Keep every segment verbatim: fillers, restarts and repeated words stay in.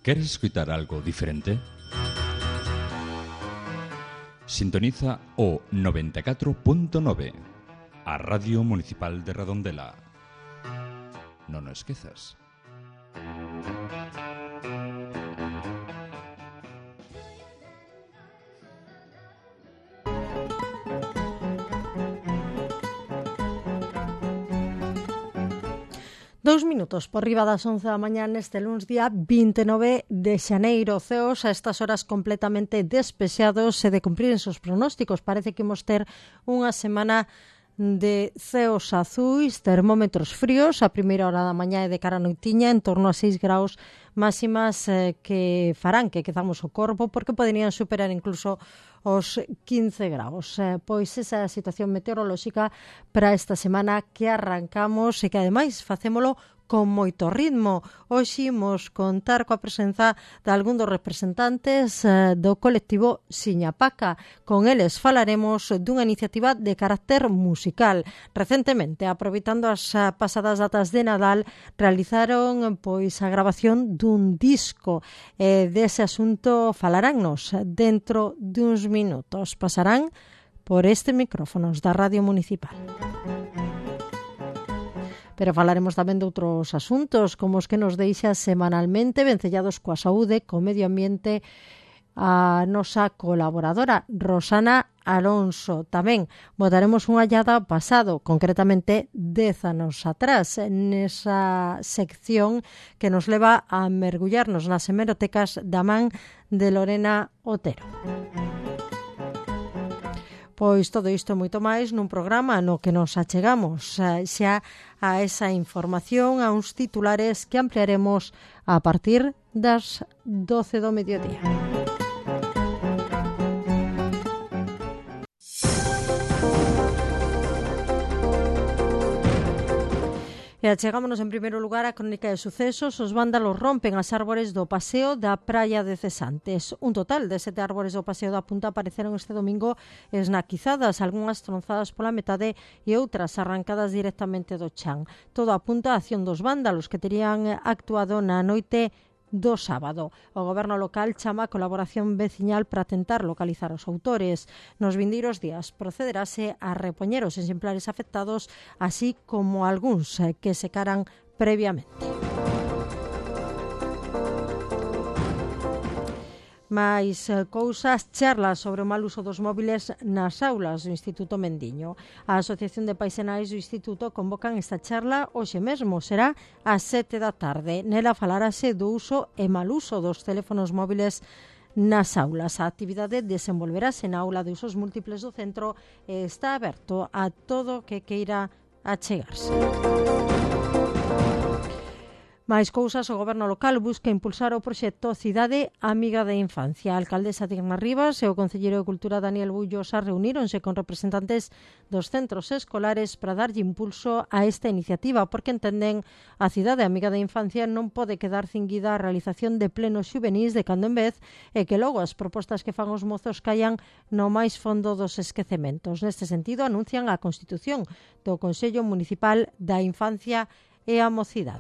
¿Queres escuchar algo diferente? Sintoniza o noventa e catro punto nove, a Radio Municipal de Redondela. Non o esquezas. Dous minutos por riba das once da mañá neste luns día vinte e nove de xaneiro. Ceos a estas horas completamente despexados e de cumprir os pronósticos. Parece que imos ter unha semana de ceos azuis, termómetros fríos, a primeira hora da mañá e de cara a noitiña en torno a seis graus máximas eh, que farán que quedamos o corpo porque poderían superar incluso os quince graus. Eh, pois esa é a situación meteorolóxica para esta semana que arrancamos e que ademais facémolo con moito ritmo. Hoxe imos contar coa presenza de algún dos representantes eh, do colectivo Siñapaca. Con eles falaremos dunha iniciativa de carácter musical. Recentemente, aproveitando as pasadas datas de Nadal, realizaron pois a grabación dun disco. E dese asunto falaránnos dentro duns minutos. Pasarán por este micrófonos da Radio Municipal. Pero falaremos tamén de outros asuntos, como os que nos deixa semanalmente vencellados coa saúde, co medio ambiente, a nosa colaboradora Rosana Alonso. Tamén botaremos unha llada ao pasado, concretamente dez anos atrás, nesa sección que nos leva a mergullarnos nas hemerotecas da man de Lorena Otero. Pois todo isto e moito máis nun programa no que nos achegamos xa a esa información, a uns titulares que ampliaremos a partir das doce do mediodía. E achegámonos en primeiro lugar a crónica de sucesos. Os vándalos rompen as árbores do paseo da Praia de Cesantes. Un total de sete árbores do paseo da Punta apareceron este domingo esnaquizadas, algunhas tronzadas pola metade e outras arrancadas directamente do chan. Todo apunta a acción dos vándalos que terían actuado na noite do sábado. O goberno local chama a colaboración veciñal para tentar localizar os autores. Nos vindeiros días procederase a repoñer os exemplares afectados, así como algúns que secaran previamente. Mais cousas, charlas sobre o mal uso dos móviles nas aulas do Instituto Mendiño. A Asociación de Pais e Nais do Instituto convocan esta charla hoxe mesmo, será ás sete da tarde. Nela falarase do uso e mal uso dos teléfonos móviles nas aulas. A actividade desenvolverase na aula de usos múltiples do centro e está aberto a todo que queira achegarse. Mais cousas, o goberno local busca impulsar o proxecto Cidade Amiga da Infancia. A alcaldesa Digna Rivas e o concelleiro de Cultura Daniel Bullosa reuníronse con representantes dos centros escolares para darlle impulso a esta iniciativa, porque entenden a Cidade Amiga da Infancia non pode quedar cinguida a realización de plenos xuvenís de cando en vez e que logo as propostas que fan os mozos caian no máis fondo dos esquecementos. Neste sentido, anuncian a constitución do Consello Municipal da Infancia e a Mocidade.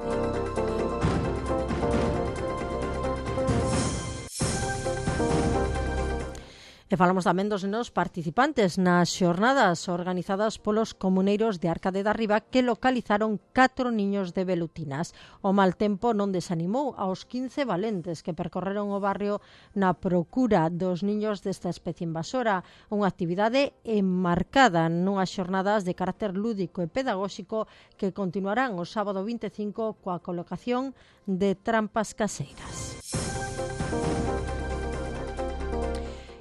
E falamos tamén dos nos participantes nas xornadas organizadas polos comuneiros de Arcade da Riba que localizaron catro niños de velutinas. O mal tempo non desanimou aos quince valentes que percorreron o barrio na procura dos niños desta especie invasora, unha actividade enmarcada nunhas xornadas de carácter lúdico e pedagóxico que continuarán o sábado vinte e cinco coa colocación de trampas caseiras.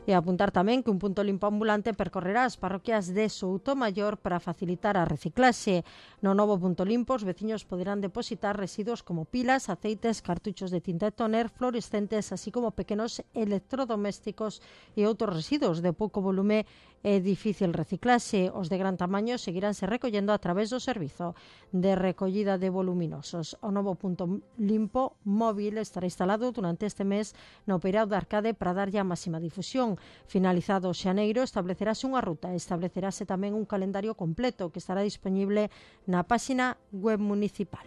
E apuntar tamén que un punto limpo ambulante percorrerá as parroquias de Soutomaior para facilitar a reciclaxe. No novo punto limpo, os veciños poderán depositar residuos como pilas, aceites, cartuchos de tinta e tóner, fluorescentes, así como pequenos electrodomésticos e outros residuos de pouco volume e difícil reciclaxe. Os de gran tamaño seguiránse recollendo a través do servizo de recollida de voluminosos. O novo punto limpo móvil estará instalado durante este mes no Peirao de Arcade para darlle a máxima difusión. Finalizado xaneiro, establecerase unha ruta e establecerase tamén un calendario completo que estará disponible na páxina web municipal.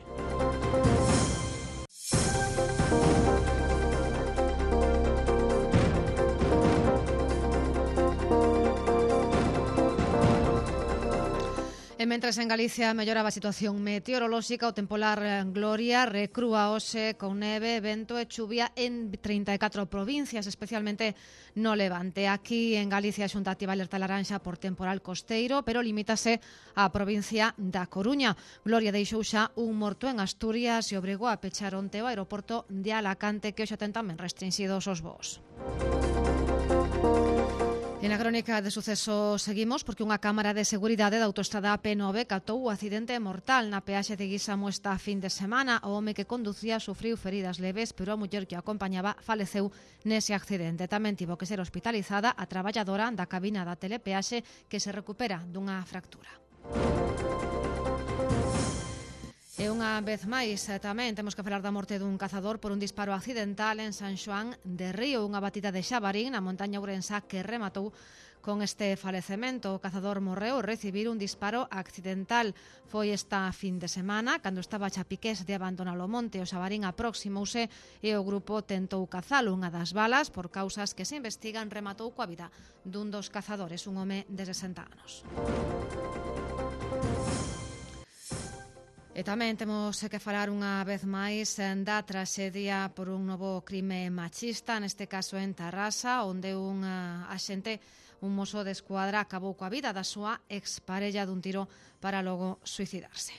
Mentres en Galicia melloraba a situación meteorolóxica, o tempolar Gloria recrúa hoxe con neve, vento e chuvia en trinta e catro provincias, especialmente no Levante. Aquí en Galicia a Xunta activa alerta laranxa por temporal costeiro, pero limítase á provincia da Coruña. Gloria deixou xa un morto en Asturias e obrigou a pechar onte o aeroporto de Alacante, que hoxe ten tamén restringidos os voos. En a crónica de sucesos seguimos porque unha cámara de seguridade da autoestrada P nove captou o accidente mortal na peaxe de Guisamo esta fin de semana. O home que conducía sufriu feridas leves, pero a muller que o acompañaba faleceu nese accidente. Tamén tivo que ser hospitalizada a traballadora da cabina da telepeaxe, que se recupera dunha fractura. E unha vez máis tamén temos que falar da morte dun cazador por un disparo accidental en San Xoán de Río, unha batida de Xabarín na montaña ourensá que rematou con este falecemento. O cazador morreu ao recibir un disparo accidental. Foi esta fin de semana, cando estaba a chapiqués de abandonar o monte. O Xabarín aproximouse e o grupo tentou cazalo. Unha das balas, por causas que se investigan, rematou coa vida dun dos cazadores, un home de sesenta anos. E tamén temos que falar unha vez máis da traxedia por un novo crime machista, neste caso en Tarrasa, onde un axente, un mozo de escuadra, acabou coa vida da súa exparella dun tiro para logo suicidarse.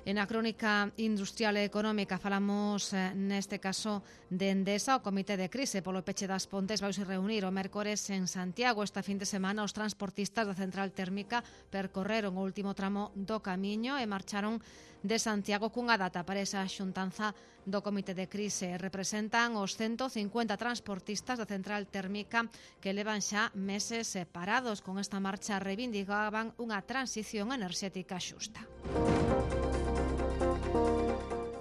En a crónica industrial e económica falamos neste caso de Endesa. O Comité de Crise polo peche das Pontes vai se reunir o mércores en Santiago. Esta fin de semana os transportistas da central térmica percorreron o último tramo do camiño e marcharon de Santiago cunha data para esa xuntanza do Comité de Crise. Representan os ciento cincuenta transportistas da central térmica que levan xa meses separados. Con esta marcha reivindicaban unha transición enerxética xusta.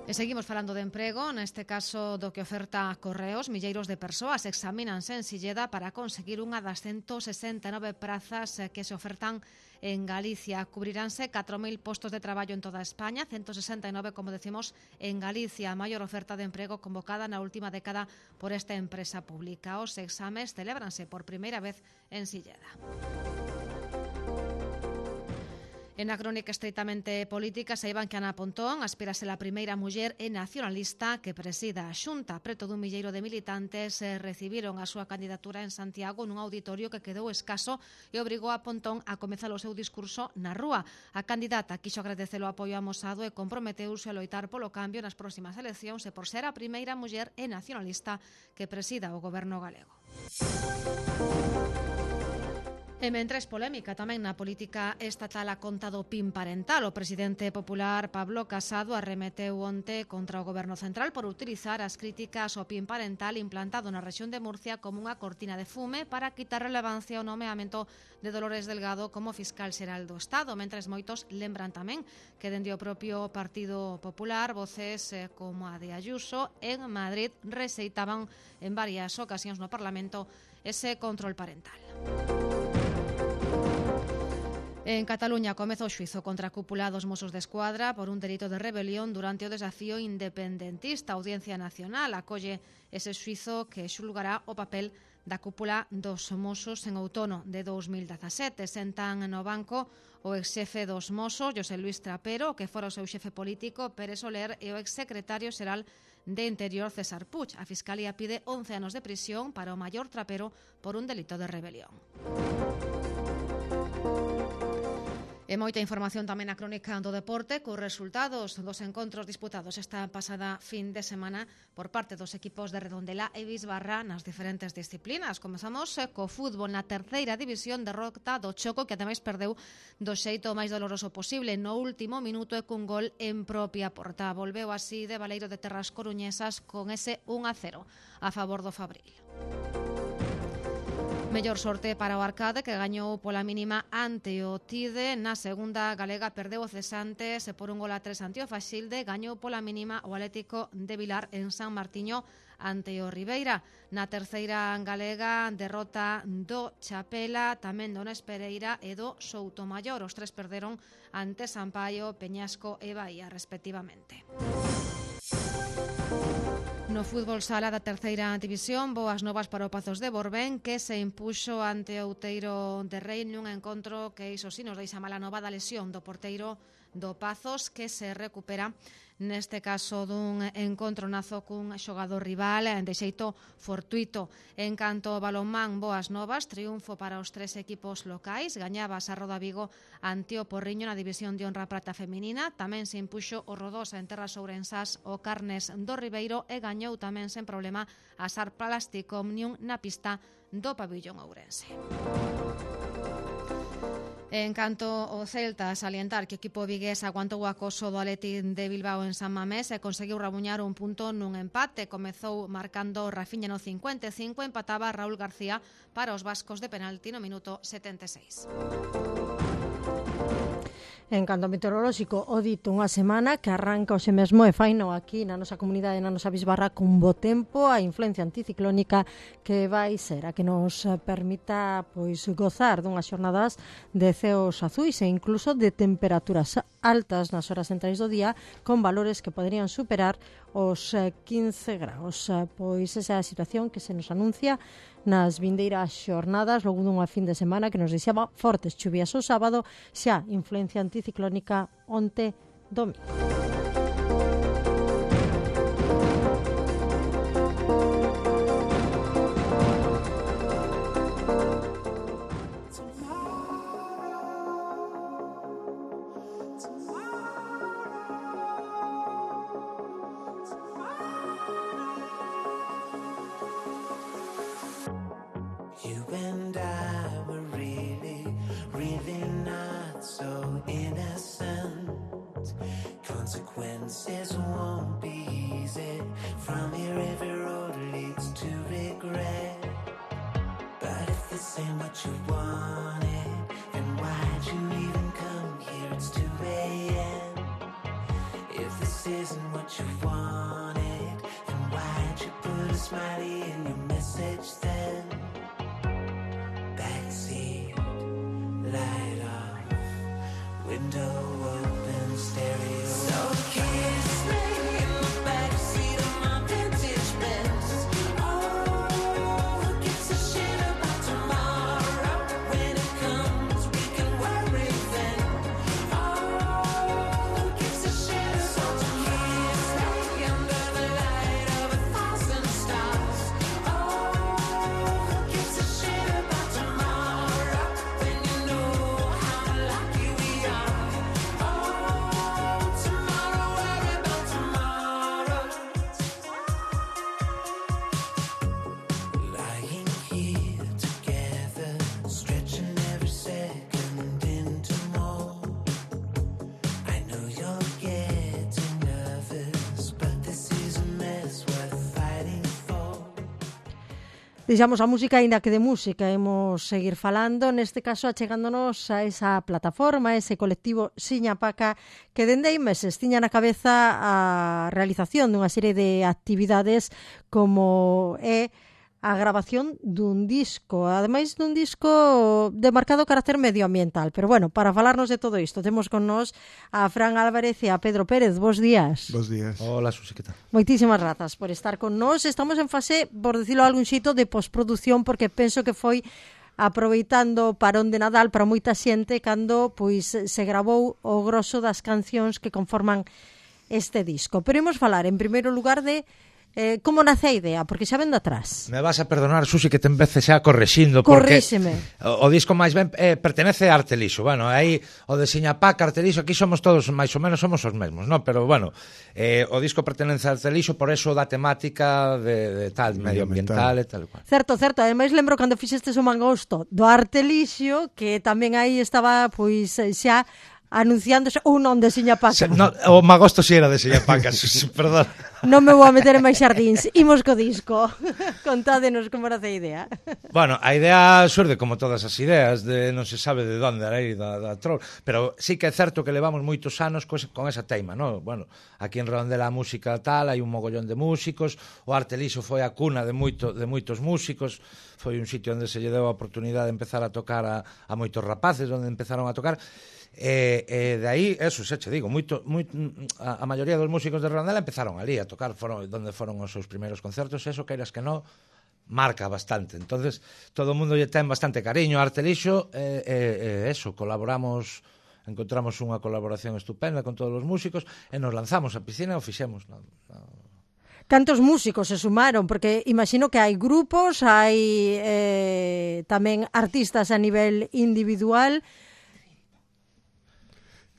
E seguimos falando de emprego, neste caso do que oferta Correos. Milleiros de persoas examínanse en Silleda para conseguir unha das ciento sesenta e nove prazas que se ofertan en Galicia. Cubriránse catro mil postos de traballo en toda España, ciento sesenta e nove, como decimos, en Galicia, a maior oferta de emprego convocada na última década por esta empresa pública. Os exames celébranse por primeira vez en Silleda. En a crónica estreitamente política, saiban que Ana Pontón aspira a ser a primeira muller e nacionalista que presida a Xunta. Preto dun milleiro de militantes eh, recibiron a súa candidatura en Santiago nun auditorio que quedou escaso e obrigou a Pontón a comezar o seu discurso na rúa. A candidata quixo agradecer o apoio amosado e comprometeuse a loitar polo cambio nas próximas eleccións e por ser a primeira muller e nacionalista que presida o goberno galego. E mentres polémica tamén na política estatal a conta do P I N parental. O presidente popular Pablo Casado arremeteu onte contra o goberno central por utilizar as críticas ao P I N parental implantado na rexión de Murcia como unha cortina de fume para quitar relevancia ao nomeamento de Dolores Delgado como fiscal xeral do Estado, mentres moitos lembran tamén que dende o propio Partido Popular voces eh, como a de Ayuso en Madrid rexeitaban en varias ocasións no Parlamento ese control parental. En Cataluña comeza o xuizo contra a cúpula dos Mossos de Escuadra por un delito de rebelión durante o desafío independentista. A Audiencia Nacional acolle ese xuizo que xulgará o papel da cúpula dos Mossos en outono de dous mil dezasete. Sentan no banco o exxefe dos Mossos, José Luis Trapero, que fora o seu xefe político, Pérez Soler, e o exsecretario xeral de Interior, César Puig. A Fiscalía pide once anos de prisión para o maior Trapero por un delito de rebelión. E moita información tamén na crónica do deporte cos resultados dos encontros disputados esta pasada fin de semana por parte dos equipos de Redondela e Bisbarra nas diferentes disciplinas. Comezamos co fútbol na terceira división, derrota do Choco, que ademais perdeu do xeito máis doloroso posible no último minuto e cun gol en propia porta. Volveu así de Baleiro de Terras Coruñesas con ese un a cero a favor do Fabril. Mellor sorte para o Arcade, que gañou pola mínima ante o Tide. Na segunda galega perdeu o Cesantes por un gol a tres ante o Faxilde. Gañou pola mínima o Atlético de Vilar en San Martiño ante o Ribeira. Na terceira galega, derrota do Chapela, tamén do Nespereira e do Soutomaior. Os tres perderon ante Sampaio, Peñasco e Bahía, respectivamente. No fútbol sala da terceira división, boas novas para o Pazos de Borbén, que se impuxo ante o Outeiro de Rei nun encontro que iso sí nos deixa mala nova da lesión do porteiro do Pazos, que se recupera neste caso dun encontro nazo cun xogador rival de xeito fortuito. En canto ao balonmán, boas novas, triunfo para os tres equipos locais, gañaba a Roda Vigo ante o Porriño na división de honra prata feminina, tamén se impuxo o Rodosa en terras ourensás o Carnes do Ribeiro e gañou tamén sen problema a Sar Plastic Omnium na pista do pabillón ourense. En canto ao Celta, salientar que o equipo vigués aguantou o acoso do Athletic de Bilbao en San Mamés e conseguiu rabuñar un punto nun empate. Comezou marcando Rafinha no cincuenta e cinco, empataba Raúl García para os vascos de penalti no minuto setenta e seis. En canto meteorolóxico, o dito unha semana que arranca hoxe mesmo e faino aquí na nosa comunidade, na nosa bisbarra, con bo tempo, a influencia anticiclónica que vai ser a que nos permita pois gozar dunhas xornadas de ceos azuis e incluso de temperaturas altas nas horas centrais do día, con valores que poderían superar os quince graus. Pois esa é a situación que se nos anuncia nas vindeiras xornadas, logo dunha fin de semana que nos deixaba fortes chuvias o sábado, xa influencia anticiclónica onte domingo. Consequences won't be easy. From here every road leads to regret. But if this ain't what you wanted, then why'd you even come here? It's two a.m. If this isn't what you wanted, then why'd you put a smiley in your message then? Backseat, light off, window open, stereo. So kiss me in the backseat of my vintage Benz. Oh, who gives a shit about tomorrow? When it comes, we can worry then. Oh, who gives a shit? So kiss me under the light of a thousand stars. Oh, who gives a shit about tomorrow? When you know how lucky we are. Deixamos a música, aínda que de música imos seguir falando, neste caso achegándonos a esa plataforma, a ese colectivo Siñapaca, que dende hai meses tiña na cabeza a realización dunha serie de actividades como é a grabación dun disco, ademais dun disco de marcado carácter medioambiental. Pero bueno, para falarnos de todo isto, temos con nós a Fran Álvarez e a Pedro Pérez. Bos días. Bos días. Hola, Susi, que tal? Moitísimas grazas por estar con nós. Estamos en fase, por decirlo algún xeito, de postproducción, porque penso que foi aproveitando parón de Nadal para moita xente cando pois se gravou o grosso das cancións que conforman este disco. Pero imos falar, en primeiro lugar, de Eh, como nace a idea, porque xa ven de atrás. Me vas a perdonar, Susi, que te empece xa correxindo, porque Corríxeme. o, o disco máis ben eh, pertenece a Artelixo. Bueno, aí o de Siñapaca, Artelixo, aquí somos todos máis ou menos somos os mesmos, ¿no? Pero bueno, eh, o disco pertenece a Artelixo, por eso da temática de, de tal, medioambiental e tal cual. Certo, certo, ademais lembro cando fixestes o mangosto do Artelixo, que tamén aí estaba pois xa anunciándose ou non de Siñapaca. No, o magosto si era de Siñapaca, perdón. Non me vou a meter en máis xardíns. Imos co disco. Contádenos como nace a idea. Bueno, a idea xurde como todas as ideas, de non se sabe de onde aí da, da troll, pero sí que é certo que levamos moitos anos con esa teima, ¿no? Bueno, aquí en Redondela a música tal, hai un mogollón de músicos, o Artelixo foi a cuna de moito de moitos músicos, foi un sitio onde se lle deu a oportunidade de empezar a tocar a, a moitos rapaces, onde empezaron a tocar. E, e de aí, eso, xa che digo, moito, moito, a, a maioría dos músicos de Redondela empezaron ali a tocar, foron donde foron os seus primeiros concertos, eso, queiras que non, marca bastante. Entonces, todo o mundo lle ten bastante cariño a Artelixo, e, e, e eso, colaboramos, encontramos unha colaboración estupenda con todos os músicos, e nos lanzamos a piscina e o fixemos. No, no. Cantos músicos se sumaron? Porque imagino que hai grupos, hai eh, tamén artistas a nivel individual.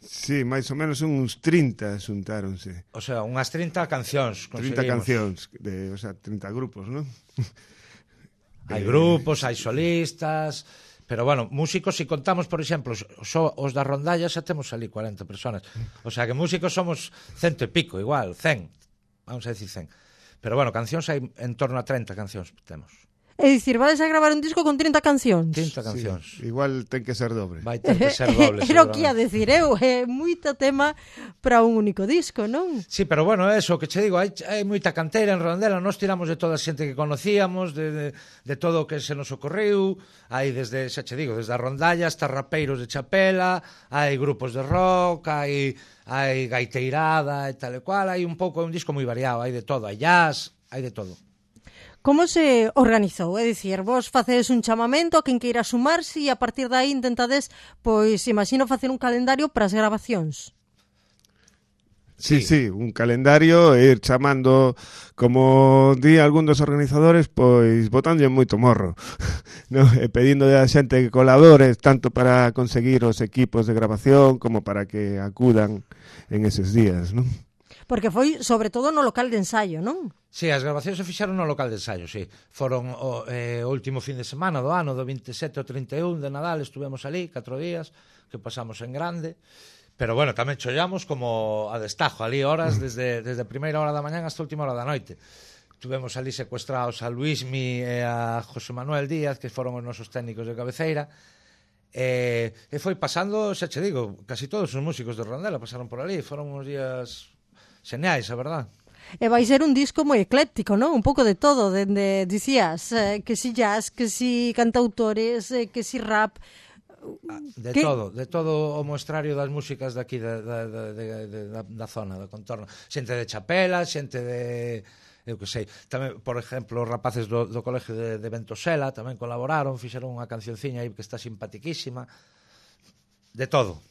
Sí, máis ou menos uns trinta xuntáronse. O sea, unhas trinta cancións trinta cancións, de, o sea, trinta grupos, non? Hai grupos, hai solistas, pero bueno, músicos, se si contamos, por exemplo, só os da rondalla xa temos ali cuarenta personas. O sea, que músicos somos cento e pico, igual, cen, vamos a decir cen. Pero bueno, cancións hai en torno a treinta cancións temos. É dicir, vais a gravar un disco con trinta cancións? trinta cancións. Sí, igual ten que ser dobre. Vai ter que ser doble. Era o que ia decir eu, é moito tema para un único disco, non? Sí, pero bueno, eso que che digo, hai, hai moita canteira en Redondela, nós tiramos de toda a xente que conocíamos, de, de, de todo o que se nos ocorreu, hai desde, xa che digo, desde a rondalla hasta rapeiros de chapela, hai grupos de rock, hai, hai gaiteirada e tal e cual, hai un pouco, é un disco moi variado, hai de todo, hai jazz, hai de todo. Como se organizou? É dicir, vos facedes un chamamento a quen queira sumarse e a partir de aí intentades, pois, imagino, facer un calendario para as grabacións. Sí, sí, un calendario e ir chamando, como di algún dos organizadores, pois botándolle moito morro, no? E pedindo a xente que colabore tanto para conseguir os equipos de grabación como para que acudan en eses días, non? Porque foi, sobre todo, no local de ensaio, non? Sí, as grabacións se fixaron no local de ensaio, sí. Foron o, eh, o último fin de semana do ano, do vinte e sete ao trinta e un de Nadal, estuvemos ali, catro días, que pasamos en grande. Pero bueno, tamén chollamos como a destajo, ali horas, desde, desde a primeira hora da mañán hasta a última hora da noite. Tuvemos ali secuestrados a Luismi e a José Manuel Díaz, que foron os nosos técnicos de cabeceira, e, e foi pasando, xa che digo, casi todos os músicos de Redondela pasaron por ali, foron uns días xeneais, a verdad. E vai ser un disco moi ecléctico, non? Un pouco de todo, dende, dicías, eh, que si jazz, que si cantautores, eh, que si rap. De que... todo, de todo o moestrario das músicas daqui da, da, da, da, da, da zona, do contorno. Xente de Chapela, xente de... eu que sei, tamén, por exemplo, os rapaces do, do colegio de, de Ventosela tamén colaboraron, fixeron unha cancionciña aí que está simpatiquísima. De todo.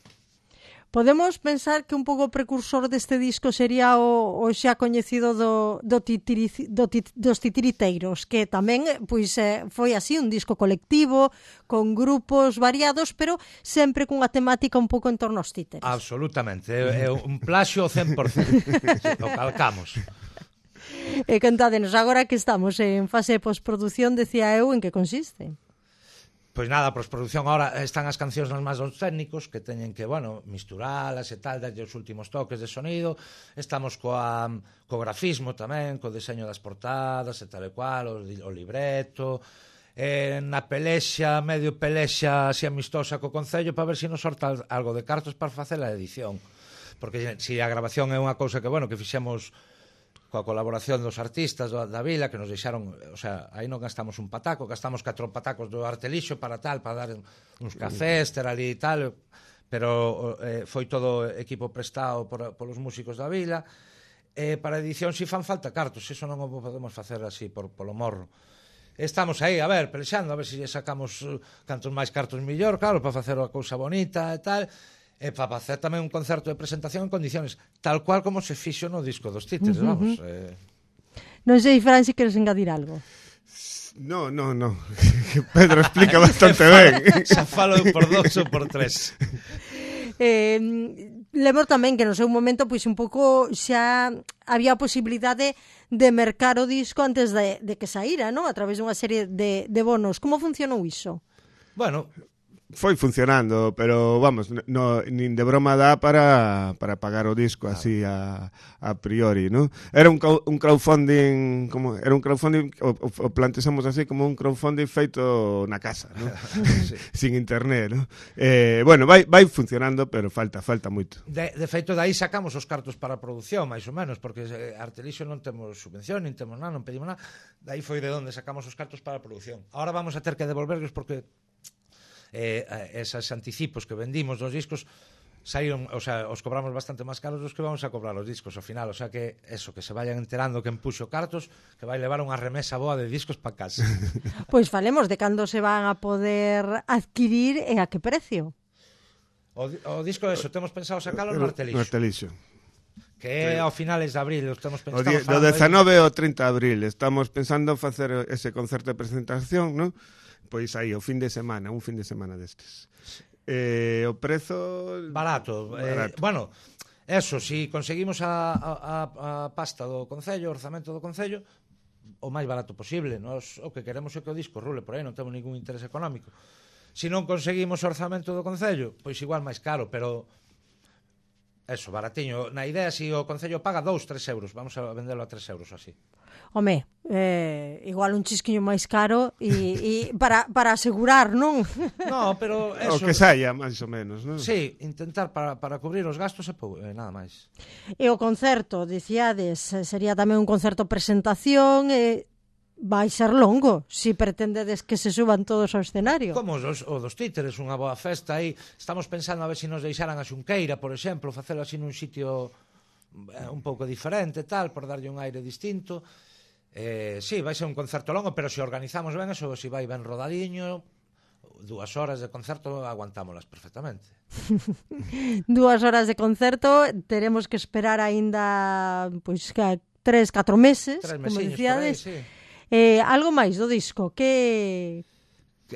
Podemos pensar que un pouco precursor deste disco sería o, o xa coñecido do, do titiri, do tit, dos titiriteiros, que tamén pois, eh, foi así un disco colectivo, con grupos variados, pero sempre cunha temática un pouco en torno aos títeres. Absolutamente, é, é un plaxio cen por cento, o calcamos. E contádenos, agora que estamos en fase de postproducción, decía eu, en que consiste? Pois nada, a postproducción agora están as cancións nas máis dos técnicos que teñen que, bueno, misturalas e tal, darlle os últimos toques de sonido. Estamos coa, co grafismo tamén, co deseño das portadas e tal e cual, o, o libreto, eh, na pelexa, medio pelexa así amistosa co Concello para ver se nos sorta algo de cartos para facer a edición. Porque se a grabación é unha cousa que, bueno, que fixemos coa colaboración dos artistas da, da vila, que nos deixaron, o sea, aí non gastamos un pataco, gastamos catro patacos do Artelixo para tal, para dar uns cafés, ter ali e tal, pero eh, foi todo equipo prestado por, polos músicos da vila. Eh, para edición si fan falta cartos, eso non o podemos facer así por, polo morro. Estamos aí, a ver, pelexando, a ver se si sacamos cantos máis cartos millor, claro, para facer a cousa bonita e tal. E para facer tamén un concerto de presentación en condiciones tal cual como se fixo no disco dos títeres, uh -huh. vamos. Eh... Non sei, Fran, se queres engadir algo. No, no, no. Pedro explica bastante ben. Xa falo por dos ou por tres. Eh, lembro tamén que no seu momento pois un pouco xa había a posibilidade de mercar o disco antes de, de que saíra, ¿no? A través dunha serie de, de bonos. Como funcionou iso? Bueno, foi funcionando, pero vamos, no, nin de broma dá para, para pagar o disco claro. Así a, a priori, ¿no? Era un, un crowdfunding, como era un crowdfunding, o, o plantexamos así como un crowdfunding feito na casa, ¿no? Sí. Sin internet, ¿no? Eh, bueno, vai, vai funcionando, pero falta, falta moito. De, de feito, daí sacamos os cartos para a produción, máis ou menos, porque Artelixo non temos subvención, nin temos nada, non pedimos nada. Daí foi de onde sacamos os cartos para a produción. Ahora vamos a ter que devolverlos porque eh, esas anticipos que vendimos dos discos saíron, o sea, os cobramos bastante máis caros dos que vamos a cobrar os discos ao final, o sea que eso, que se vayan enterando que empuxo cartos, que vai levar unha remesa boa de discos para casa. Pois falemos de cando se van a poder adquirir e a que precio. O, o disco eso, temos pensado sacalo no Artelixo. No Artelixo. Que é ao finales de abril, estamos pensando O do dezanove ao trinta de abril estamos pensando facer ese concerto de presentación, ¿no? Pois aí, o fin de semana, un fin de semana destes. Eh, o prezo... Barato. Barato. Eh, bueno, eso, si conseguimos a, a, a pasta do Concello, o orzamento do Concello, o máis barato posible. Nos, o que queremos é que o disco rule por aí, non temos ningún interés económico. Se non conseguimos o orzamento do Concello, pois igual máis caro, pero... Eso, baratiño. Na idea, se o Concello paga dous, tres euros, vamos a vendelo a tres euros así. Home, eh, igual un chisquiño máis caro e, e para, para asegurar, non? No, pero eso... O que saia, máis ou menos, non? Sí, intentar para, para cubrir os gastos e pou, eh, nada máis. E o concerto, dicíades, sería tamén un concerto presentación, e vai ser longo, se si pretendedes que se suban todos ao escenario. Como os, o dos títeres, unha boa festa aí. Estamos pensando a ver se nos deixaran a Xunqueira, por exemplo, facelo así nun sitio eh, un pouco diferente, tal, por darlle un aire distinto. Eh, sí, vai ser un concerto longo, pero se organizamos ben, eso, se vai ben rodadiño, dúas horas de concerto aguantámolas perfectamente. Dúas horas de concerto, teremos que esperar aínda pois que tres, catro meses, Tres como mesiños dicíades. por aí, sí. Eh, algo máis do disco, que...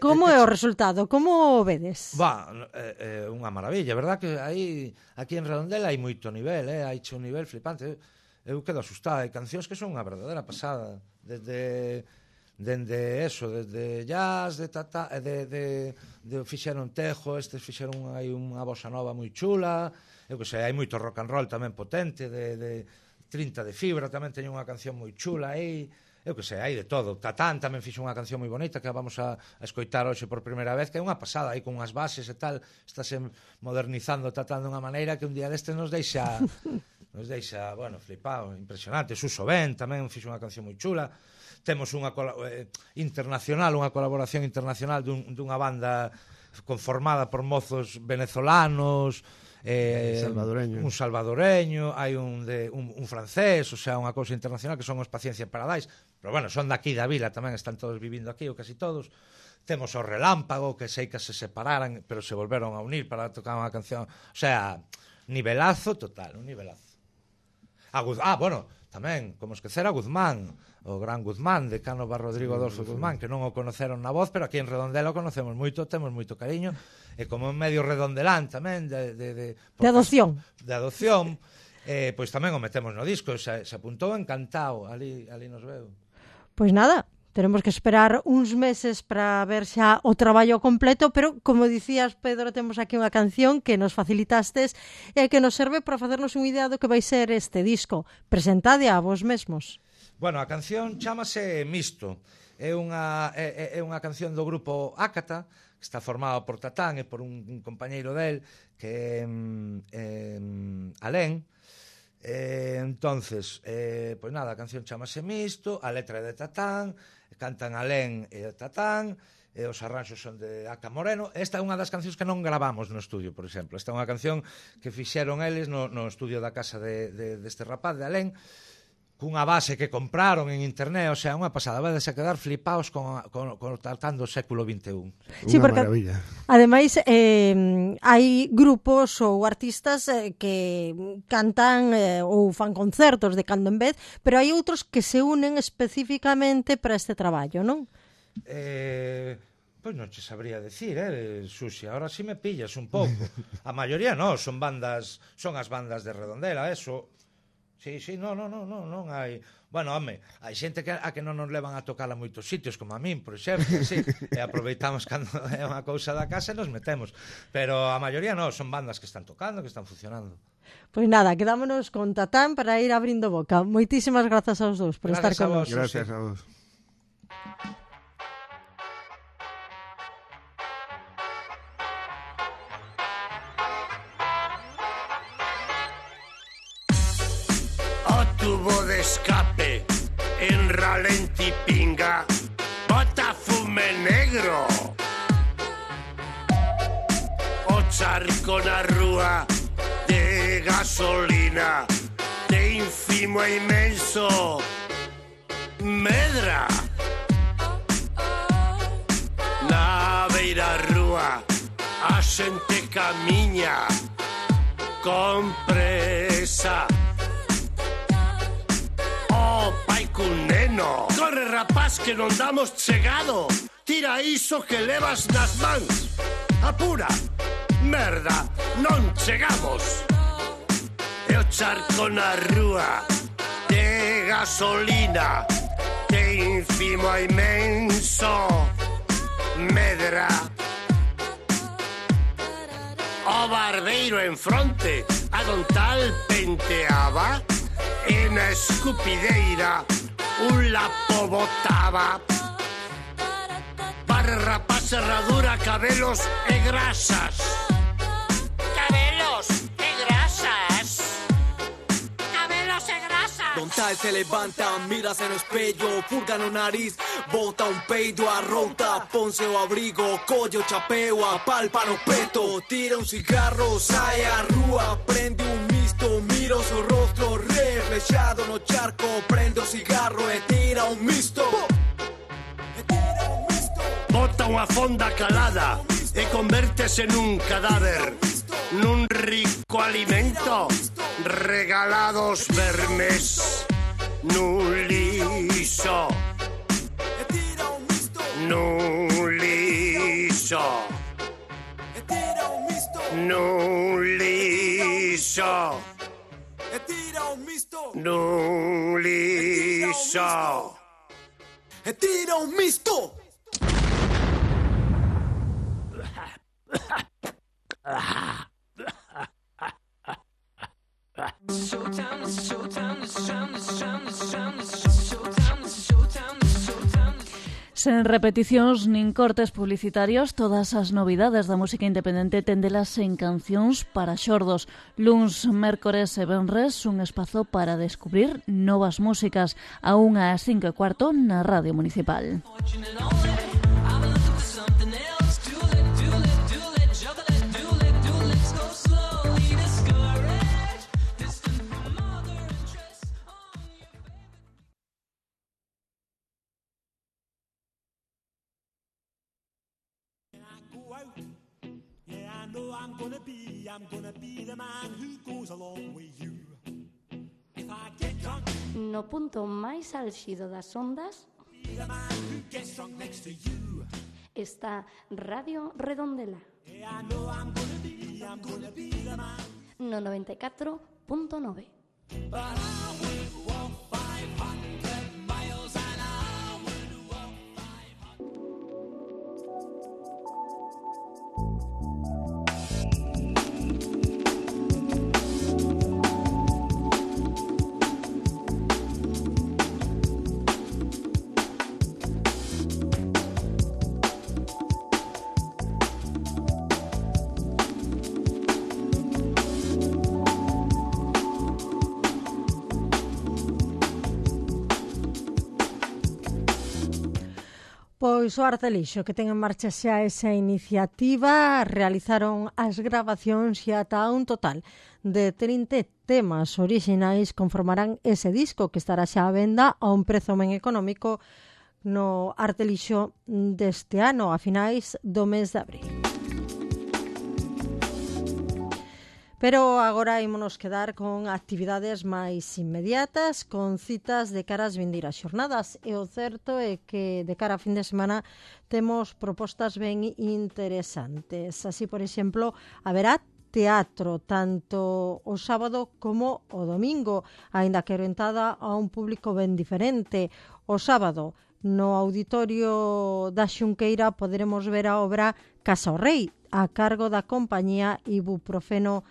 Como é o resultado? Como o vedes? Va, é eh, eh, unha maravilla, verdad que aí aquí en Redondela hai moito nivel, eh, hai un nivel flipante. Eu quedo asustada, hai cancións que son unha verdadeira pasada, desde dende eso, desde jazz, de tata, de de de fixeron Tejo, estes fixeron aí unha bossa nova moi chula, eu que sei, hai moito rock and roll tamén potente, de de trinta de fibra tamén teñen unha canción moi chula aí. Eu que sei, hai de todo. Tatán tamén fixo unha canción moi bonita que vamos a, a escoitar hoxe por primeira vez, que é unha pasada, aí con unhas bases e tal, estáse modernizando Tatán dunha maneira que un día deste nos deixa nos deixa, bueno, flipado, impresionante. Suso Ben tamén fixo unha canción moi chula. Temos unha eh, internacional, unha colaboración internacional dun, dunha banda conformada por mozos venezolanos, eh, salvadoreño. un salvadoreño, hai un, de, un, un francés, o sea, unha cousa internacional que son os Paciencia Paradise, pero bueno, son daqui da vila tamén, están todos vivindo aquí, ou casi todos. Temos o Relámpago, que sei que se separaran, pero se volveron a unir para tocar unha canción, o sea, nivelazo total, un nivelazo. A Guz... Ah, bueno, tamén, como esquecer a Guzmán, o gran Guzmán, de Cánova Rodrigo Adolfo Guzmán, que non o conoceron na voz, pero aquí en Redondela o conocemos moito, temos moito cariño, e como en medio redondelán tamén, de... De, de, de adopción. De adopción, eh, pois tamén o metemos no disco, se, se apuntou encantado, ali, ali nos veo. Pois nada, teremos que esperar uns meses para ver xa o traballo completo, pero, como dicías, Pedro, temos aquí unha canción que nos facilitastes e que nos serve para facernos unha idea do que vai ser este disco. Presentade a vos mesmos. Bueno, a canción chamase Misto. É unha, é, é unha canción do grupo Ácata, que está formado por Tatán e por un, un compañeiro del, que é eh, Alén. Eh, entonces, eh, pois nada, a canción chamase Misto, a letra é de Tatán, cantan Alén e Tatán, e os arranxos son de Aca Moreno. Esta é unha das cancións que non gravamos no estudio, por exemplo. Esta é unha canción que fixeron eles no, no estudio da casa de, de, deste rapaz, de Alén, cunha base que compraron en internet, o sea, unha pasada, vais a quedar flipaos con, con, con Tatán do século vinte e un. Sí, Unha porque, maravilla. ademais, eh, hai grupos ou artistas eh, que cantan eh, ou fan concertos de cando en vez, pero hai outros que se unen especificamente para este traballo, non? Eh... Pois non che sabría decir, eh, Susi, ahora si sí me pillas un pouco. A maioría non, son bandas, son as bandas de Redondela, eso. Sí, sí, no, no, no, no, non hai... Bueno, home, hai xente que a que non nos levan a tocar a moitos sitios, como a min, por exemplo, sí, e aproveitamos cando é unha cousa da casa e nos metemos. Pero a maioría non, son bandas que están tocando, que están funcionando. Pois nada, quedámonos con Tatán para ir abrindo boca. Moitísimas grazas aos dous por Gracias estar con vos, nós. Gracias a vos. Tubo de escape en ralentí pinga, bota fume negro. charco na rúa de gasolina, de ínfimo e inmenso medra. Na beira rúa a xente camiña con presa. Oh, pai cun neno, corre rapaz que non damos chegado, tira iso que levas nas mans. Apura, merda, non chegamos. E o charco na rúa de gasolina, de ínfimo a inmenso medra. O barbeiro en fronte a don tal penteaba, e na escupideira un lapo botaba. Para rapaz, herradura, cabelos e grasas. Cabelos e grasas. Cabelos e grasas. Don tal se levanta, mírase no espello, purga no nariz, bota un peido, arrouta, ponse o abrigo, colle o chapeo, apalpa no peto, tira un cigarro, sai á rúa, prende un misto, mira o seu rostro reflexado no charco, prende o cigarro e tira un misto. Bota unha fonda calada e convértese nun cadáver, nun rico alimento, regalados vermes, nun lixo, nun lixo, nun lixo, nun lixo, e tira un misto. Sen repeticións nin cortes publicitarios, todas as novidades da música independente tendelas en Cancións para xordos. Luns, mércores e venres, un espazo para descubrir novas músicas, a unha ás cinco e cuarto na Radio Municipal. I'm gonna be, I'm gonna be the man who goes along with you. If I get drunk, no punto máis álxido das ondas be the man who gets drunk next to you. Está Radio Redondela. Yeah, I know I'm gonna be, I'm gonna be the man. No noventa e catro punto nove. But I would walk five hundred miles and I would walk five hundred. Pois o Artelixo, que ten en marcha xa esa iniciativa, realizaron as gravacións e ata un total de trinta temas orixinais conformarán ese disco que estará xa á venda a un prezo ben económico no Artelixo deste ano, a finais do mes de abril. Pero agora ímonos quedar con actividades máis inmediatas, con citas de cara ás vindeiras xornadas. E o certo é que de cara a fin de semana temos propostas ben interesantes. Así, por exemplo, haberá teatro tanto o sábado como o domingo, aínda que orientada a un público ben diferente. O sábado, no auditorio da Xunqueira, poderemos ver a obra Casa o Rei, a cargo da compañía Ibuprofeno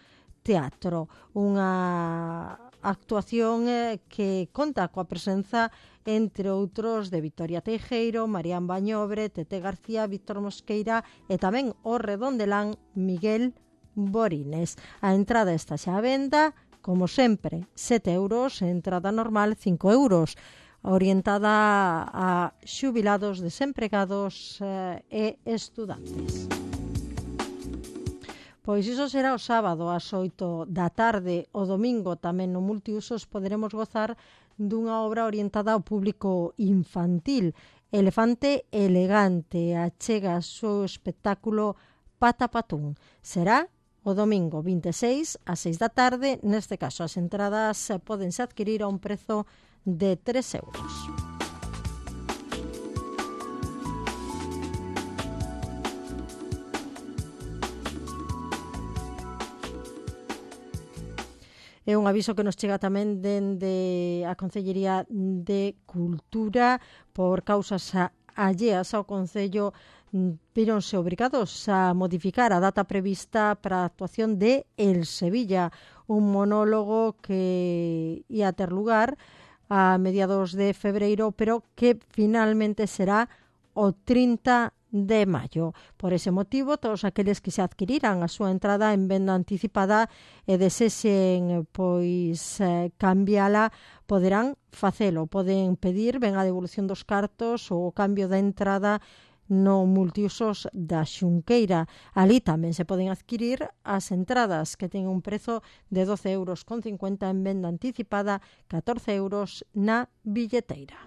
Teatro, unha actuación que conta coa presenza, entre outros, de Victoria Teijeiro, Marián Bañobre, Tete García, Víctor Mosqueira e tamén o redondelán Miguel Borines. A entrada está xa á venda, como sempre, sete euros, entrada normal cinco euros, orientada a xubilados, desempregados eh, e estudantes. Pois iso será o sábado ás oito da tarde. O domingo tamén no Multiusos poderemos gozar dunha obra orientada ao público infantil. Elefante Elegante achega o seu espectáculo Patapatún. Será o domingo vinte e seis ás seis da tarde. Neste caso, as entradas pódense adquirir a un prezo de tres euros. É un aviso que nos chega tamén dende a Concellería de Cultura. Por causas alleas ao Concello, víronse obrigados a modificar a data prevista para a actuación de El Sevilla, un monólogo que ia ter lugar a mediados de febreiro, pero que finalmente será o trinta de maio. Por ese motivo, todos aqueles que se adquiriran a súa entrada en venda anticipada e desexen pois eh, cambiala, poderán facelo. Poden pedir ben a devolución dos cartos ou o cambio da entrada no Multiusos da Xunqueira. Ali tamén se poden adquirir as entradas, que ten un prezo de doce euros con cincuenta en venda anticipada, catorce euros na billeteira.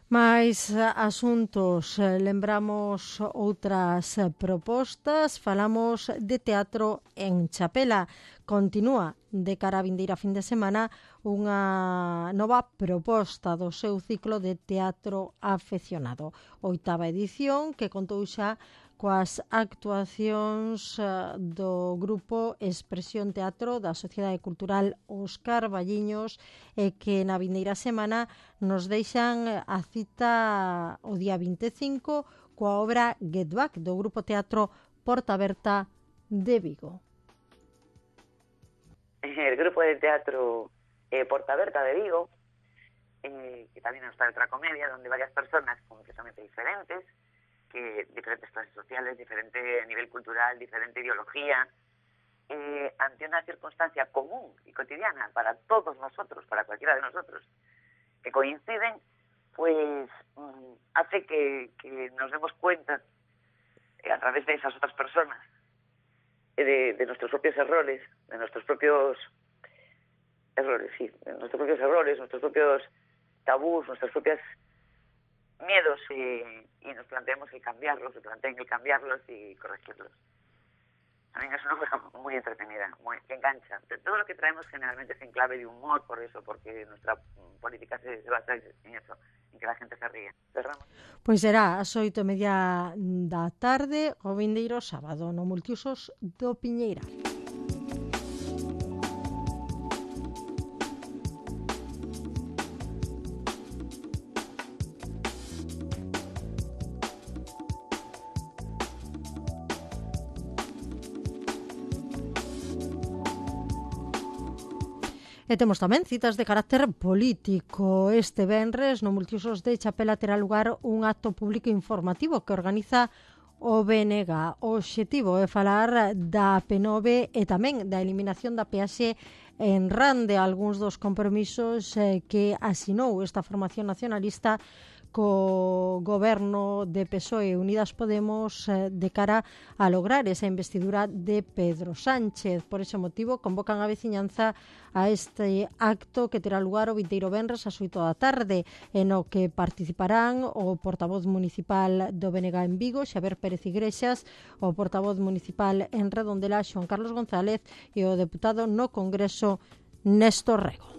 Mais asuntos, lembramos outras propostas, falamos de teatro en Chapela. Continúa de cara a vindeira fin de semana unha nova proposta do seu ciclo de teatro afeccionado. Oitava edición que contou xa coas actuacións do grupo Expresión Teatro da Sociedade Cultural Óscar Valliños, e que na vindeira semana nos deixan a cita o día vinte e cinco coa obra Get Back do grupo teatro Porta Aberta de Vigo. El grupo de teatro eh, Porta Aberta de Vigo, eh, que también está otra comedia donde varias personas completamente diferentes, que diferentes clases sociales, diferente nivel cultural, diferente ideología, eh, ante una circunstancia común y cotidiana para todos nosotros, para cualquiera de nosotros, que coinciden, pues mm, hace que, que nos demos cuenta eh, a través de esas otras personas eh, de, de nuestros propios errores, de nuestros propios errores, sí, de nuestros propios errores, nuestros propios tabús, nuestras propias miedos, y, y nos planteemos el cambiarlos, se planteen el cambiarlos y corregirlos. También es una obra muy entretenida, muy, que engancha. De todo lo que traemos generalmente es en clave de humor, por eso, porque nuestra política se, se basa en eso, en que la gente se ríe. Cerramos. Pois será ás oito e media da tarde o vindeiro sábado no Multiusos do Piñeira. E temos tamén citas de carácter político. Este venres no Multiusos de Chapela terá lugar un acto público informativo que organiza o B N G. O obxectivo é falar da P nove e tamén da eliminación da peaxe en Rande, algúns dos compromisos eh, que asinou esta formación nacionalista co goberno de P S O E e Unidas Podemos eh, de cara a lograr esa investidura de Pedro Sánchez. Por ese motivo convocan a veciñanza a este acto que terá lugar o vindeiro venres ás oito da tarde, en o que participarán o portavoz municipal do B N G en Vigo, Xavier Pérez Iglesias, o portavoz municipal en Redondela, Xoán Carlos González, e o deputado no Congreso, Néstor Rego.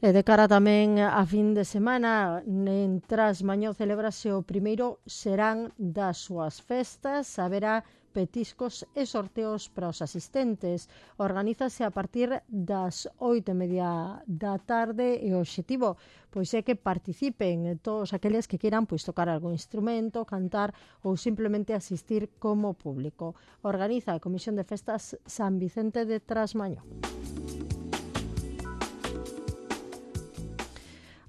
E de cara tamén a fin de semana, en Trasmañó celebrase o primeiro serán das súas festas. Haberá petiscos e sorteos para os asistentes. Organízase a partir das oito e media da tarde e o obxectivo pois é que participen todos aqueles que queiran pois tocar algún instrumento, cantar ou simplemente asistir como público. Organiza a Comisión de Festas San Vicente de Trasmañó.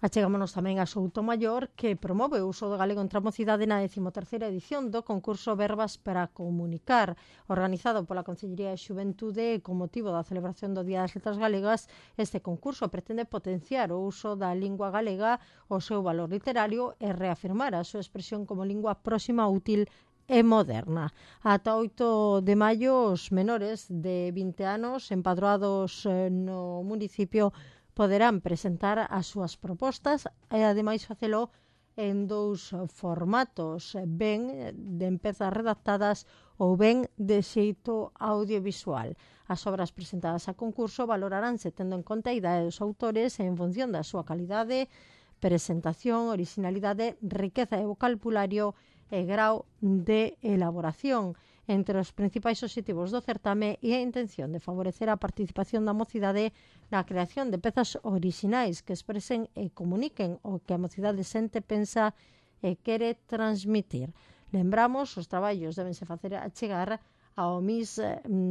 Achegámonos tamén a Soutomaior, que promove o uso do galego entre a mocidade na décimo terceira edición do concurso Verbas para Comunicar, organizado pola Consellería de Xuventude con motivo da celebración do Día das Letras Galegas. Este concurso pretende potenciar o uso da lingua galega, o seu valor literario e reafirmar a súa expresión como lingua próxima, útil e moderna. Ata oito de maio, os menores de vinte anos empadroados no municipio poderán presentar as súas propostas e ademais facelo en dous formatos, ben de empezas redactadas ou ben de xeito audiovisual. As obras presentadas a concurso valoraránse tendo en conta a idade dos autores e en función da súa calidade, presentación, originalidade, riqueza de vocabulario e grau de elaboración. Entre os principais obxectivos do certame e a intención de favorecer a participación da mocidade na creación de pezas orixinais que expresen e comuniquen o que a mocidade sente, pensa e quere transmitir. Lembramos, os traballos debense facer a chegar ao M I S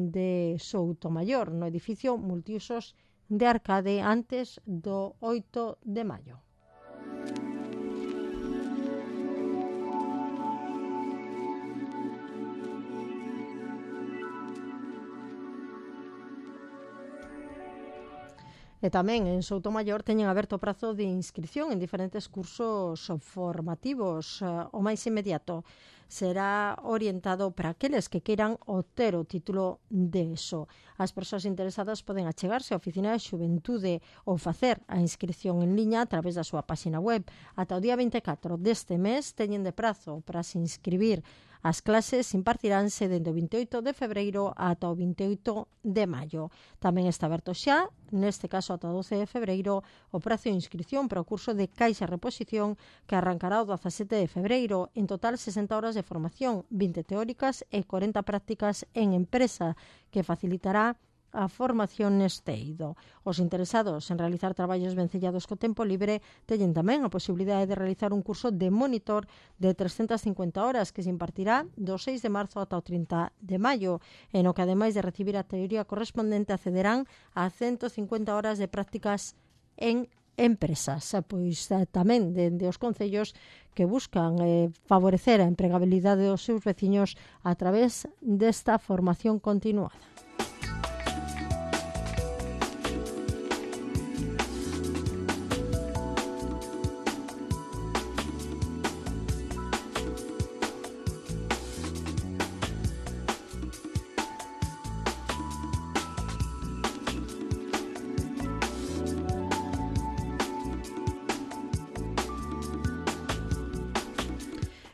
de Soutomaior, no edificio multiusos de Arcade, antes do oito de maio. E tamén en Soutomaior teñen aberto o prazo de inscripción en diferentes cursos formativos. O máis inmediato será orientado para aqueles que queiran obter o título de ESO. As persoas interesadas poden achegarse á Oficina de Xuventude ou facer a inscripción en liña a través da súa páxina web. Ata o día vinte e catro deste mes teñen de prazo para se inscribir. As clases impartiránse dende o vinte e oito de febreiro ata o vinte e oito de maio. Tamén está aberto xa, neste caso ata o doce de febreiro, o prazo de inscripción para o curso de Caixa e Reposición, que arrancará o dezasete de febreiro. En total, sesenta horas de formación, vinte teóricas e corenta prácticas en empresa, que facilitará a formación neste eido. Os interesados en realizar traballos vencellados co tempo libre teñen tamén a posibilidade de realizar un curso de monitor de trescentas cincuenta horas que se impartirá do seis de marzo ata o trinta de maio, en o que ademais de recibir a teoría correspondente accederán a ciento cincuenta horas de prácticas en empresas. Pois tamén dende os concellos que buscan eh, favorecer a empregabilidade dos seus veciños a través desta formación continuada.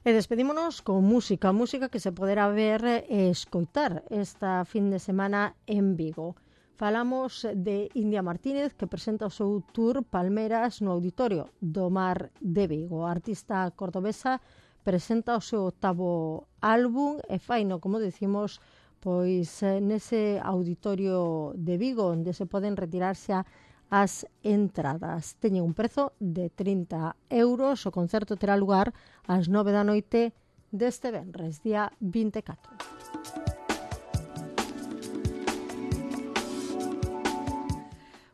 E despedímonos con música, música que se poderá ver e escoitar esta fin de semana en Vigo. Falamos de India Martínez, que presenta o seu tour Palmeras no Auditorio do Mar de Vigo. A artista cordobesa presenta o seu octavo álbum e faino, como decimos, pois nese Auditorio de Vigo, onde se poden retirarse a as entradas. Teñen un prezo de trinta euros. O concerto terá lugar ás nove da noite deste venres, día vinte e catro.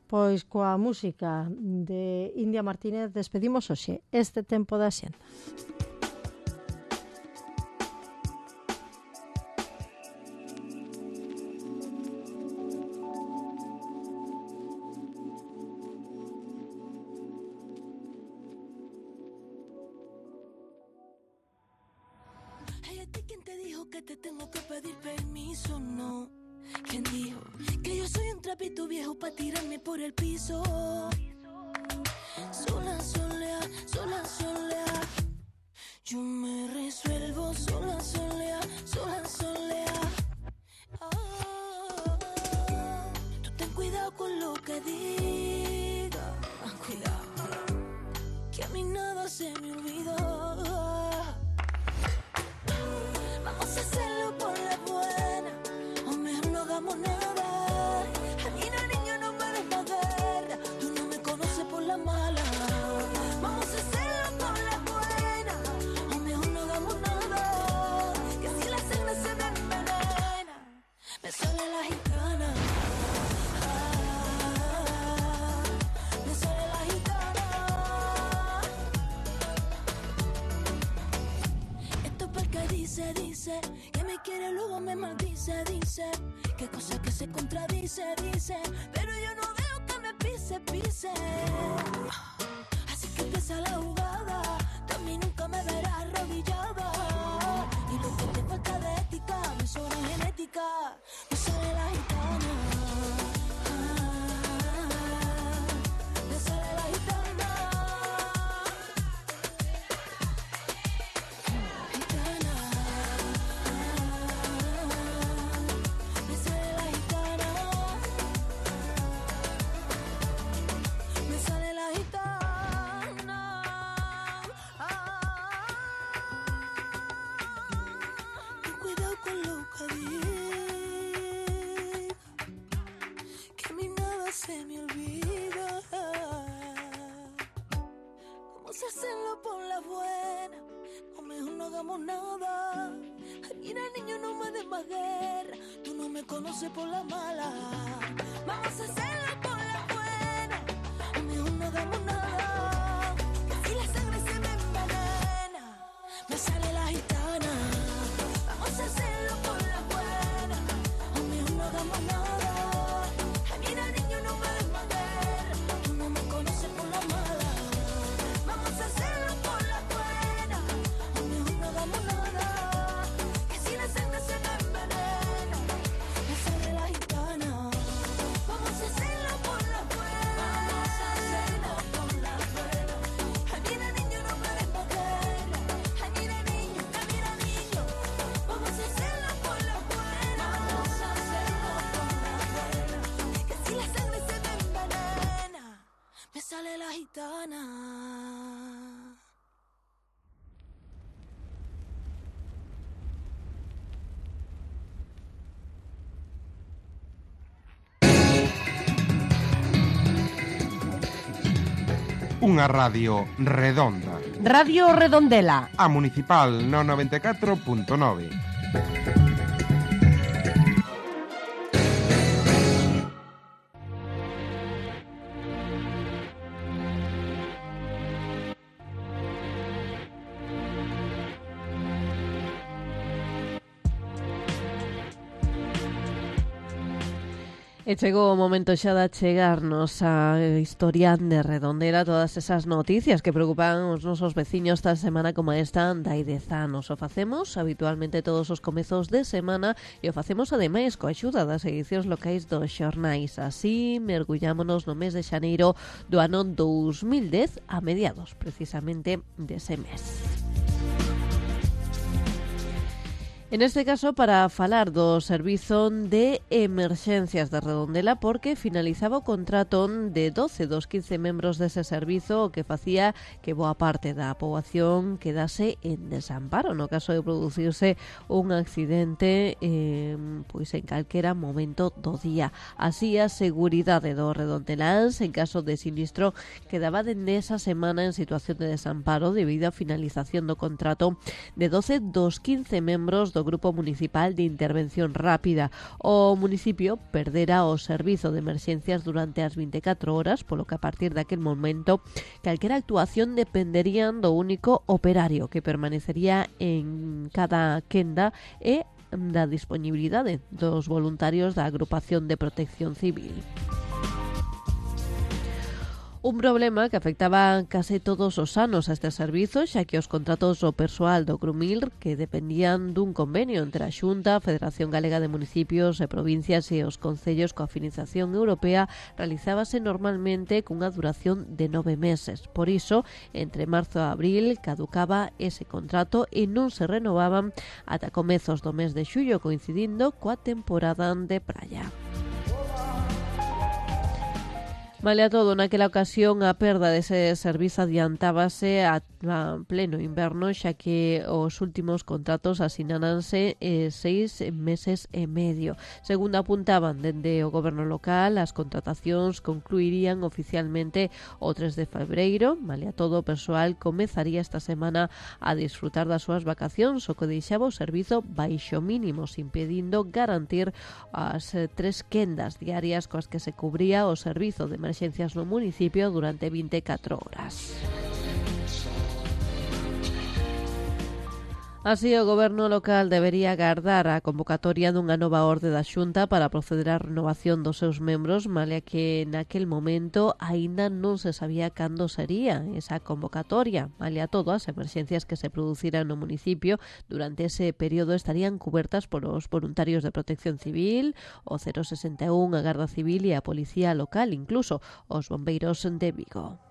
Pois coa música de India Martínez despedimos hoxe este tempo da xenda. Que te tengo que pedir permiso, no. ¿Quién dijo que yo soy un trapito viejo para tirarme por el piso? Sola, solea, sola, solea. Yo me resuelvo sola, solea, sola, solea. Oh, tú ten cuidado con lo que digas. Cuidado, que a mí nada se me olvidó. Vamos a hacerlo por la buena, o mejor no hagamos nada. A mí no, niño, no me des más guerra, tú no me conoces por la mala. Vamos a hacerlo por la buena, o mejor no hagamos nada. Que si la cena se me envenena, me sale la gitana. Ah, me sale la gitana. dice, dice, que me quiere luego me maldice, dice, que cosa que se contradice, dice, pero yo no veo que me pise, pise. Así que empieza la jugada, de mí nunca me verás arrodillada. Y lo que te falta de ética, me sobra genética, me sale la gitana. Me sale la gitana. Gitana. Me sale la gitana. Me sale la gitana. Ten cuidado con lo que digo, que a mí nada se me olvida. Vamos a hacerlo por la buena, o mejor no hagamos nada. Ay, mira, niño, no me des más guerra, tú no me conoces por la mala. Vamos a hacerlo por la buena, o mejor no hagamos nada. Que si la sangre se me envenena, me sale la gitana. Vamos a hacerlo por la buena, o mejor no hagamos nada. Ay, mira, niño, no me des más guerra, tú no me conoces por la mala. Vamos a hacerlo por la buena, o mejor no hagamos nada. Que si la sangre se me envenena, me sale la gitana. Vamos a hacerlo por la buena, vamos a hacerlo por la buena. Ay, mira, niño, no me des más guerra. Ay, mira, niño, ay, mira, niño. Vamos a hacerlo por la buena, vamos a hacerlo por la buena. Que si la sangre se me envenena, me sale la gitana. Unha radio redonda. Radio Redondela. A Municipal no noventa e catro punto nove. E chegou o momento xa de chegarnos a historia de Redondela, todas esas noticias que preocupan os nosos veciños esta semana como esta dai dez anos. O facemos habitualmente todos os comezos de semana e o facemos ademais coa axuda das edicións locais dos xornais. Así mergullámonos no mes de xaneiro do ano dous mil dez a mediados precisamente dese mes. En este caso, para falar do Servizo de Emerxencias de Redondela, porque finalizaba o contrato de doce dos quince membros dese servizo, o que facía que boa parte da poboación quedase en desamparo no caso de producirse un accidente eh, pois en calquera momento do día. Así, a seguridade do redondeláns en caso de sinistro quedaba dende esa semana en situación de desamparo debido á finalización do contrato de doce dos quince membros do Grupo Municipal de Intervención Rápida. O municipio perdera o servizo de emerxencias durante as vinte e catro horas, polo que a partir daquel momento calquera actuación dependerían do único operario que permanecería en cada quenda e da disponibilidade dos voluntarios da Agrupación de Protección Civil. Un problema que afectaba case todos os anos a este servizo, xa que os contratos do persoal do Grumil, que dependían dun convenio entre a Xunta, a Federación Galega de Municipios e Provincias e os concellos coa Financiación Europea, realizábase normalmente cunha duración de nove meses. Por iso, entre marzo e abril caducaba ese contrato e non se renovaban ata comezos do mes de xullo, coincidindo coa temporada de praia. Male a todo, naquela ocasión a perda dese servizo adiantábase a, a pleno inverno, xa que os últimos contratos asináranse eh, seis meses e medio. Segundo apuntaban dende o goberno local, as contratacións concluirían oficialmente o tres de febreiro. Male a todo, o persoal comezaría esta semana a disfrutar das súas vacacións, o que deixaba o servizo baixo mínimos, impedindo garantir as eh, tres quendas diarias coas que se cubría o servizo de emergencias no municipio durante vinte e catro horas. Así, o goberno local debería agardar a convocatoria dunha nova orde da Xunta para proceder á renovación dos seus membros, malia que naquel momento aínda non se sabía cando sería esa convocatoria. Malia todo, as emerxencias que se produciran no municipio durante ese período estarían cubertas por os voluntarios de Protección Civil, o cero sesenta e un, a Garda Civil e a Policía Local, incluso os bombeiros de Vigo.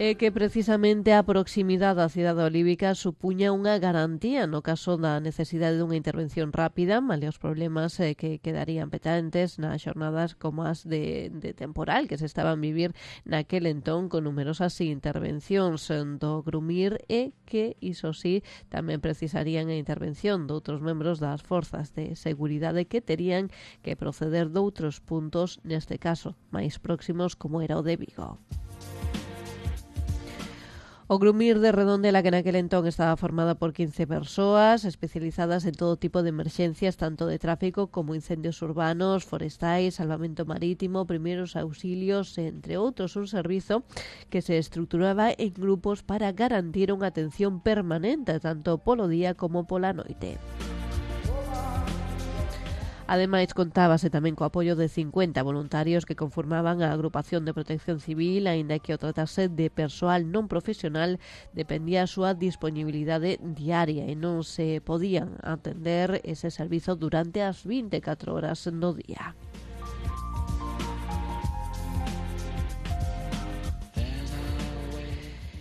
É que precisamente a proximidade da cidade olívica supuña unha garantía no caso da necesidade dunha intervención rápida, malia os problemas eh, que quedarían petentes nas xornadas como as de, de temporal que se estaban vivir naquel entón, con numerosas intervencións do Grumir e que, iso sí, tamén precisarían a intervención de outros membros das forzas de seguridade que terían que proceder doutros puntos, neste caso, máis próximos como era o de Vigo. O Grumir de Redondela, que naquel entón estaba formada por quince persoas especializadas en todo tipo de emerxencias, tanto de tráfico como incendios urbanos, forestais, salvamento marítimo, primeiros auxilios, entre outros, un servizo que se estruturaba en grupos para garantir unha atención permanente tanto polo día como pola noite. Ademais, contábase tamén co apoio de cincuenta voluntarios que conformaban a agrupación de Protección Civil, aínda que o tratase de persoal non profesional dependía a súa disponibilidade diaria e non se podían atender ese servizo durante as vinte e catro horas no día.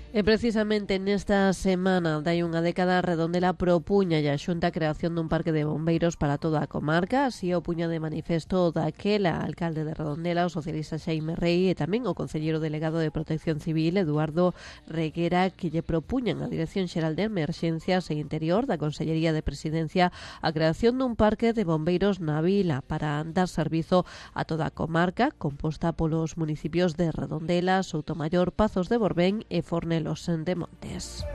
E precisamente nesta semana dai unha década, Redondela propuña a Xunta a creación dun parque de bombeiros para toda a comarca. Así o puña de manifesto daquela alcalde de Redondela, o socialista Xaime Rei, e tamén o concelleiro delegado de Protección Civil, Eduardo Reguera, que lle propuñan a Dirección Xeral de Emerxencias e Interior da Consellería de Presidencia a creación dun parque de bombeiros na vila para dar servizo a toda a comarca, composta polos municipios de Redondela, Soutomaior, Pazos de Borbén e Fornellos de Montes.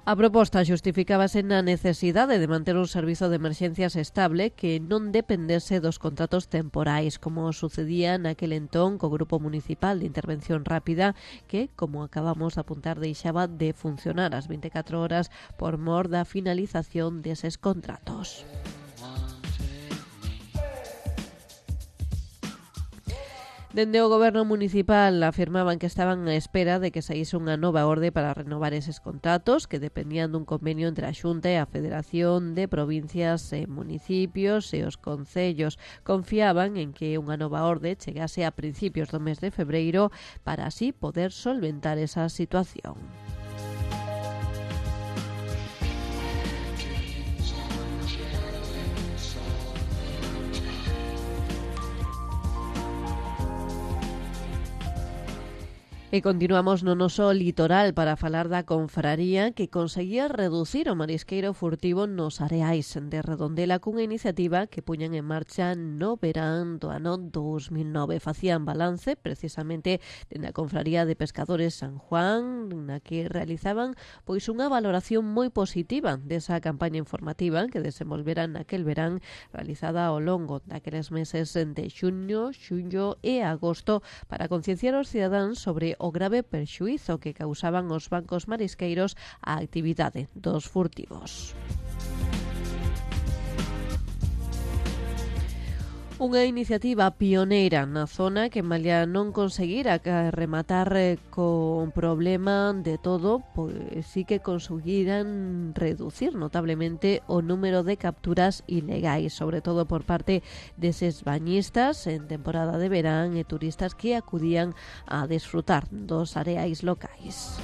A proposta xustificábase na necesidade de manter un servizo de emerxencias estable que non dependese dos contratos temporais, como sucedía naquel entón co Grupo Municipal de Intervención Rápida, que, como acabamos de apuntar, deixaba de funcionar as vinte e catro horas por mor da finalización deses contratos. Dende o goberno municipal afirmaban que estaban á espera de que saíse unha nova orde para renovar eses contratos que dependían dun convenio entre a Xunta e a Federación de Provincias e Municipios e os concellos. Confiaban en que unha nova orde chegase a principios do mes de febreiro para así poder solventar esa situación. E continuamos no noso litoral para falar da confraría que conseguía reducir o marisqueiro furtivo nos areais de Redondela cunha iniciativa que puñan en marcha no verán do ano dos mil nove. Facían balance precisamente dende a confraría de pescadores San Juan, na que realizaban pois unha valoración moi positiva desa campaña informativa que desenvolveran naquel verán, realizada ao longo daqueles meses de xuño, xullo e agosto para concienciar os cidadáns sobre o grave perxuízo que causaban os bancos marisqueiros á actividade dos furtivos. Unha iniciativa pioneira na zona que, malia non conseguira rematar con problema de todo, pois sí que conseguiran reducir notablemente o número de capturas ilegais, sobre todo por parte deses bañistas en temporada de verán e turistas que acudían a desfrutar dos areais locais.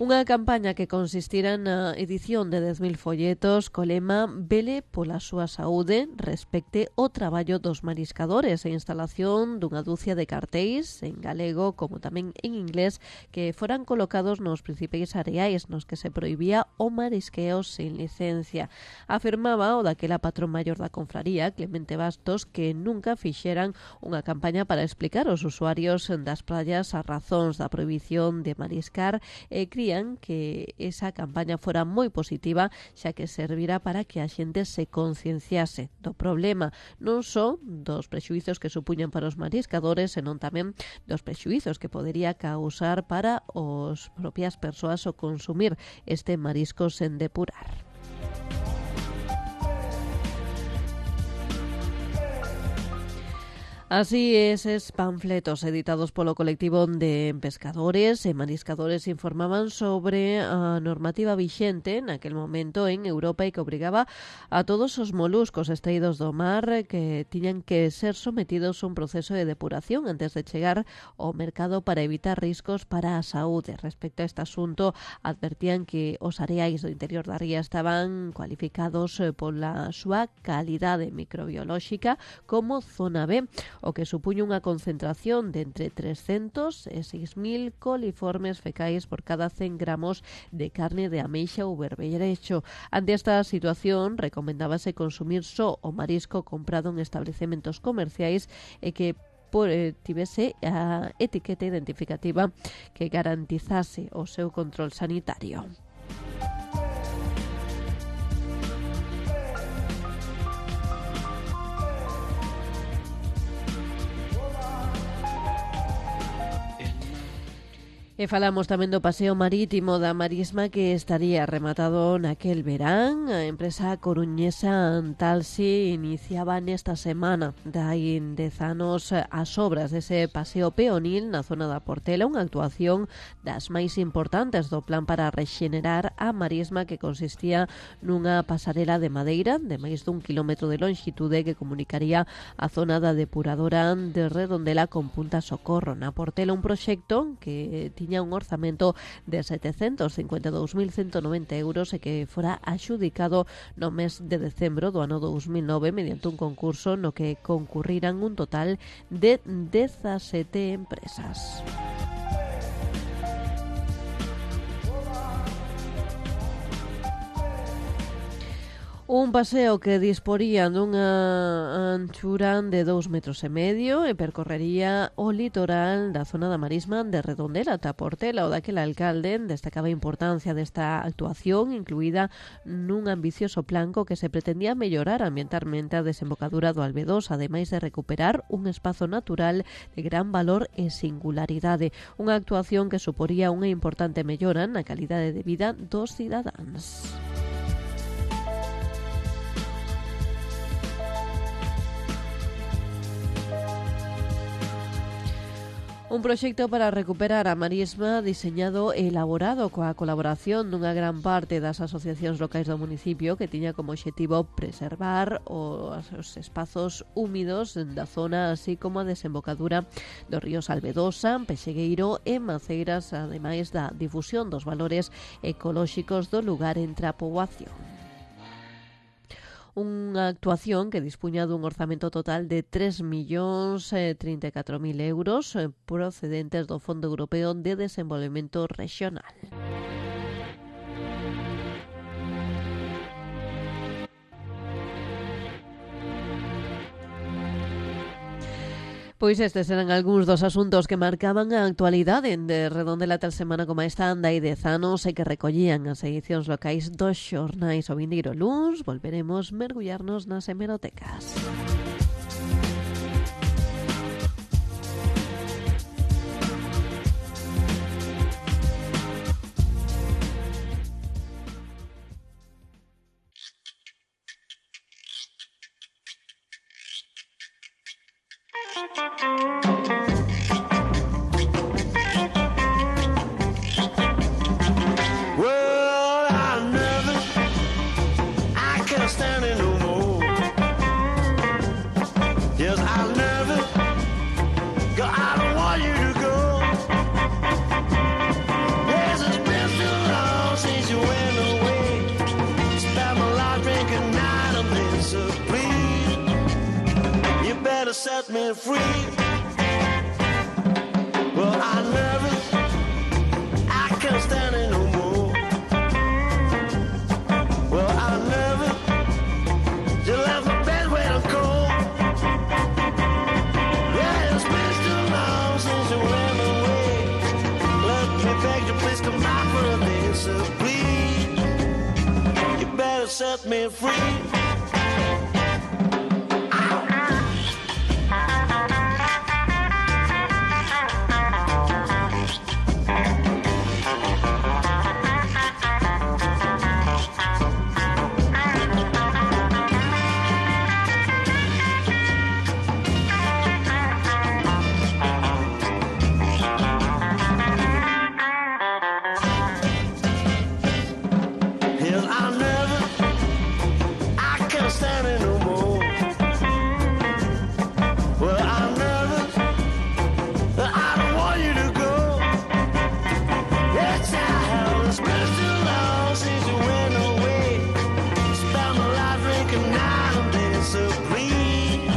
Unha campaña que consistira na edición de dez mil folletos co lema "Vele pola súa saúde, respecte o traballo dos mariscadores" e instalación dunha dúcia de cartéis en galego como tamén en inglés que foran colocados nos principais areais nos que se prohibía o marisqueo sin licencia. Afirmaba o daquela patrón maior da confraría, Clemente Bastos, que nunca fixeran unha campaña para explicar aos usuarios das praias as razóns da prohibición de mariscar e cría querían que esa campaña fora moi positiva, xa que servira para que a xente se concienciase do problema, non só dos prexuizos que supuñan para os mariscadores, senón tamén dos prexuizos que podería causar para os propias persoas o consumir este marisco sen depurar. Así, eses panfletos editados polo colectivo de pescadores e mariscadores informaban sobre a normativa vixente naquel momento en Europa e que obrigaba a todos os moluscos extraídos do mar que tiñan que ser sometidos a un proceso de depuración antes de chegar ao mercado para evitar riscos para a saúde. Respecto a este asunto, advertían que os areais do interior da ría estaban cualificados pola súa calidade microbiolóxica como zona B, o que supuña unha concentración de entre trescentos e seis mil coliformes fecais por cada cen gramos de carne de ameixa ou berberecho. Ante esta situación, recomendábase consumir só o marisco comprado en establecementos comerciais e que por, eh, tivese a etiqueta identificativa que garantizase o seu control sanitario. E falamos tamén do paseo marítimo da Marisma que estaría rematado naquel verán. A empresa coruñesa Antalsi iniciaba nesta semana dai dez anos as obras dese paseo peonil na zona da Portela, unha actuación das máis importantes do plan para rexenerar a Marisma, que consistía nunha pasarela de madeira de máis dun kilómetro de lonxitude que comunicaría a zona da depuradora de Redondela con Punta Socorro na Portela, un proxecto que tiña un orzamento de setecentos cincuenta e dous mil ciento noventa euros e que fora axudicado no mes de decembro do ano dous mil nove mediante un concurso no que concurriran un total de dezasete empresas. Un paseo que disporía dunha anchura de dous metros e medio e percorrería o litoral da zona da Marisma de Redondela ata Portela. O daquel alcalde destacaba a importancia desta actuación, incluída nun ambicioso plan co que se pretendía mellorar ambientalmente a desembocadura do Albedos, ademais de recuperar un espazo natural de gran valor e singularidade. Unha actuación que suporía unha importante mellora na calidade de vida dos cidadáns. Un proxecto para recuperar a Marisma diseñado e elaborado coa colaboración dunha gran parte das asociacións locais do municipio, que tiña como obxectivo preservar os, os espazos húmidos da zona, así como a desembocadura dos ríos Albedosa, Pexegueiro e Maceiras, ademais da difusión dos valores ecolóxicos do lugar entre a poboación. Unha actuación que dispuña dun orzamento total de tres millóns trinta e catro mil euros procedentes do Fondo Europeo de Desenvolvemento Regional. Pois estes eran algúns dos asuntos que marcaban a actualidade de Redondela tal semana como esta anda e dez anos e que recollían as edicións locais dos xornais. O vindeiro luns volveremos mergullarnos nas hemerotecas. Well, I never, I can't stand it no more. Yes, I never, 'cause I don't want you to go. Yes, it's been so long since you went away. Spent my life drinking night of this, so please, you better set me free. Well, I never, I can't stand it no more. Well, I never, you left my bed waiting cold. Yeah, it's been too long since you went away. Let me beg you, please come back for a day. disagree. You better set me free. Hell, I never, I can't stand it no more. Well, I never, I don't want you to go. It's how it's been too long since you went away. Spent my life drinking night and disagree.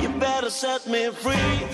You better set me free.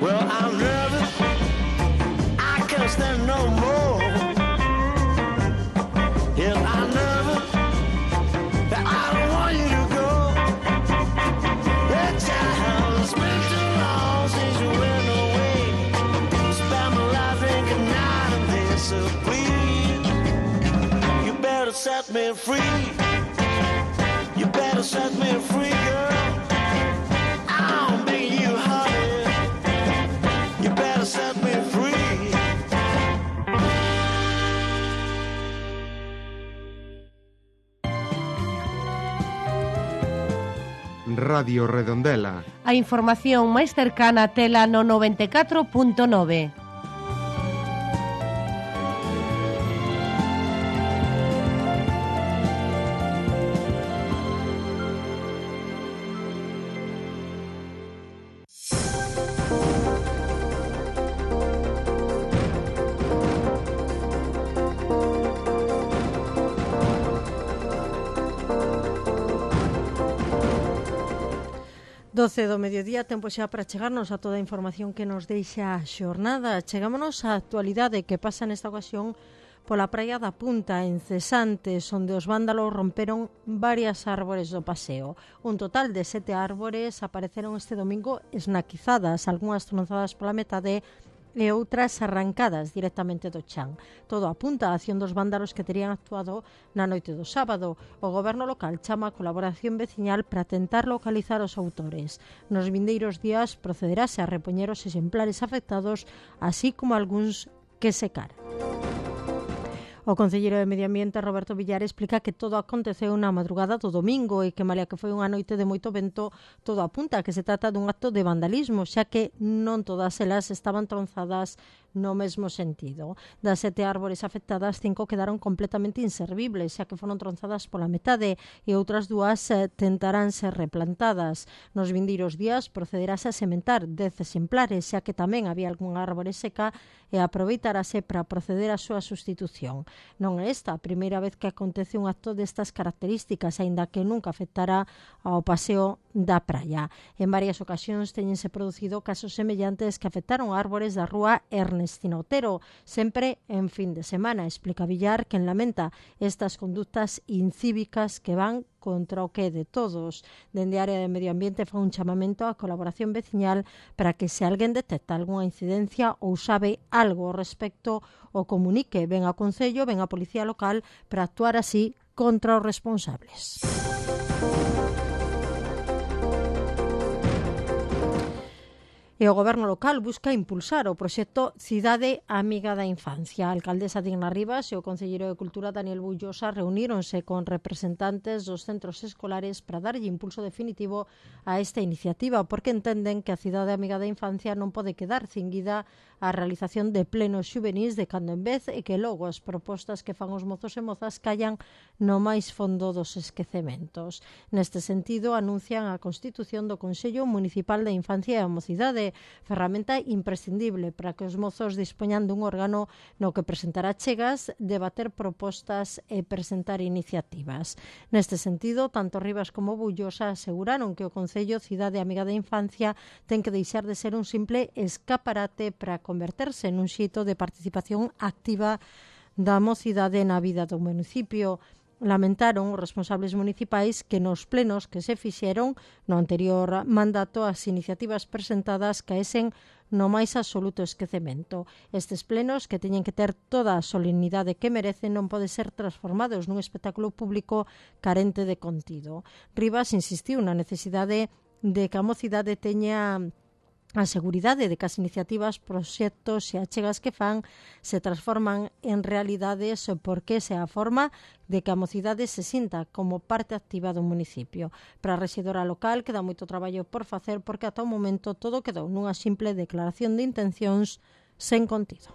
Well, I'm nervous, I can't stand no more. Yes, I'm nervous, that I don't want you to go. The child, it's been too long since you went away. Spent my life drinking night and disagree. You better set me free. You better set me free, girl. I'm begging you, honey. You better set me free. Radio Redondela. A información máis cercana tela no noventa e catro punto nove. doce do mediodía, tempo xa para chegarnos a toda a información que nos deixa a xornada. Chegámonos á actualidade que pasa nesta ocasión pola praia da Punta, en Cesantes, onde os vándalos romperon varias árbores do paseo. Un total de sete árbores apareceron este domingo esnaquizadas, algunhas tronzadas pola metade e outras arrancadas directamente do chan. Todo apunta a acción dos vándalos que terían actuado na noite do sábado. O goberno local chama a colaboración veciñal para tentar localizar os autores. Nos vindeiros días procederase a repoñer os exemplares afectados, así como algúns que secaran. O concelleiro de Medio Ambiente, Roberto Villar, explica que todo aconteceu na madrugada do domingo e que, malia que foi unha noite de moito vento, todo apunta a que se trata dun acto de vandalismo, xa que non todas elas estaban tronzadas no mesmo sentido. Das sete árbores afectadas, cinco quedaron completamente inservibles, xa que foron tronzadas pola metade, e outras dúas eh, tentarán ser replantadas. Nos vindeiros días procederase a sementar dez exemplares, xa que tamén había algunha árbore seca, e aproveitarase para proceder á súa sustitución. Non é esta a primeira vez que acontece un acto destas características, aínda que nunca afectará ao paseo da praia. En varias ocasións teñense producido casos semellantes que afectaron árbores da rúa Ernestino Otero, sempre en fin de semana. Explica Villar que lamenta estas conductas incívicas que van contra o que de todos. Dende a área de Medio Ambiente fa un chamamento á colaboración veciñal para que se alguén detecta algunha incidencia ou sabe algo ao respecto o comunique ben ao Concello, ben á Policía Local, para actuar así contra os responsables. E o Goberno local busca impulsar o proxecto Cidade Amiga da Infancia. A alcaldesa Digna Rivas e o Conselleiro de Cultura Daniel Bullosa reuníronse con representantes dos centros escolares para darlle impulso definitivo a esta iniciativa, porque entenden que a Cidade Amiga da Infancia non pode quedar cinguida á realización de plenos xuvenis de cando en vez e que logo as propostas que fan os mozos e mozas callan no máis fondo dos esquecementos. Neste sentido, anuncian a constitución do Consello Municipal da Infancia e a Mocidade, ferramenta imprescindible para que os mozos dispoñan dun órgano no que presentar achegas, debater propostas e presentar iniciativas. Neste sentido, tanto Rivas como Bullosa aseguraron que o Concello Cidade Amiga da Infancia ten que deixar de ser un simple escaparate para converterse nun xeito de participación activa da mocidade na vida do municipio. Lamentaron os responsables municipais que nos plenos que se fixeron no anterior mandato as iniciativas presentadas caesen no máis absoluto esquecemento. Estes plenos, que teñen que ter toda a solemnidade que merecen, non poden ser transformados nun espectáculo público carente de contido. Rivas insistiu na necesidade de que a mocidade teña a seguridade de que as iniciativas, proxectos e achegas que fan se transforman en realidades porque esa é a forma de que a mocidade se sinta como parte activa do municipio. Para a rexedora local queda moito traballo por facer porque ata o momento todo quedou nunha simple declaración de intencións sen contido.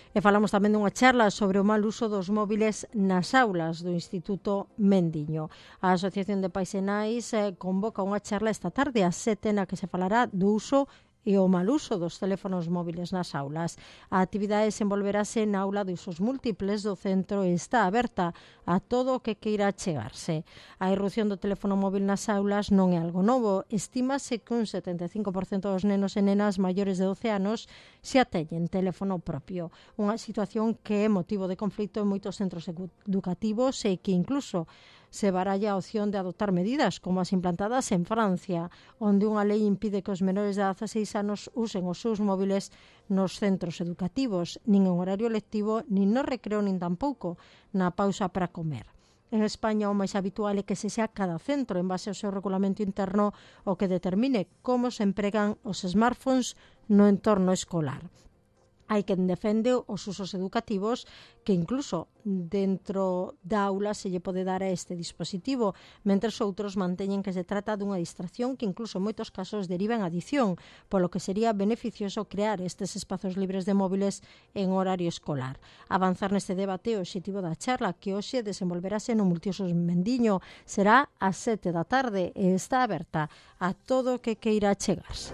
E falamos tamén dunha charla sobre o mal uso dos móviles nas aulas do Instituto Mendiño. A Asociación de Pais e Nais eh, convoca unha charla esta tarde ás sete na que se falará do uso e o mal uso dos teléfonos móviles nas aulas. A actividade desenvolverase na aula de usos múltiples do centro e está aberta a todo o que queira chegarse. A irrupción do teléfono móvil nas aulas non é algo novo. Estímase que un setenta e cinco por cento dos nenos e nenas maiores de doce anos xa teñen teléfono propio. Unha situación que é motivo de conflito en moitos centros educativos e que incluso se baralla a opción de adoptar medidas como as implantadas en Francia, onde unha lei impide que os menores de dezaseis anos usen os seus móviles nos centros educativos, nin en horario lectivo, nin no recreo, nin tampouco na pausa para comer. En España o máis habitual é que se xa cada centro, en base ao seu regulamento interno, o que determine como se empregan os smartphones no entorno escolar. Hai quen defende os usos educativos que incluso dentro da aula se lle pode dar a este dispositivo, mentres outros manteñen que se trata dunha distracción que incluso en moitos casos deriva en adición, polo que sería beneficioso crear estes espazos libres de móviles en horario escolar. Avanzar neste debate o obxectivo da charla, que hoxe desenvolverase no Multiusos Mendiño, será ás sete da tarde e está aberta a todo o que queira chegarse.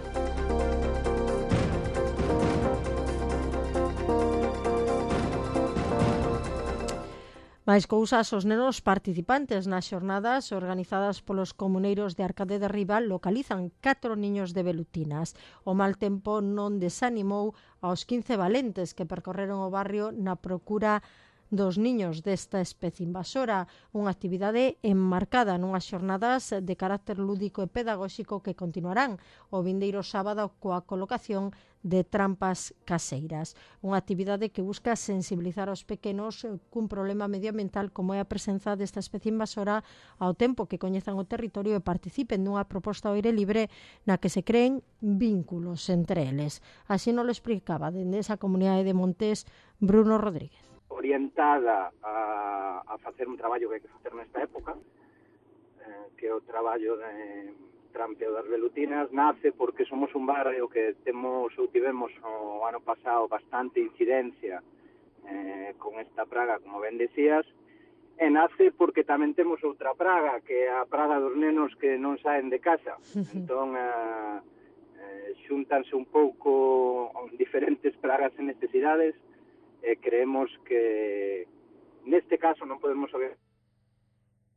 Mais cousas, os nenos participantes nas xornadas organizadas polos comuneiros de Arcade de Riba localizan catro niños de velutinas. O mal tempo non desanimou aos quince valentes que percorreron o barrio na procura dos niños desta especie invasora, unha actividade enmarcada nunhas xornadas de carácter lúdico e pedagóxico que continuarán o vindeiro sábado coa colocación de trampas caseiras. Unha actividade que busca sensibilizar aos pequenos cun problema medioambiental como é a presenza desta especie invasora ao tempo que coñezan o territorio e participen dunha proposta ao aire libre na que se creen vínculos entre eles. Así nos lo explicaba dende esa comunidade de Montes Bruno Rodríguez. Orientada a, a facer un traballo que hai que facer nesta época, eh, que é o traballo de trampeo das velutinas, nace porque somos un barrio que temos ou tivemos o ano pasado bastante incidencia eh, con esta praga, como ben decías, e nace porque tamén temos outra praga, que é a praga dos nenos que non saen de casa. Entón, eh, eh, xuntanse un pouco diferentes pragas e necesidades. Eh, creemos que neste caso non podemos saber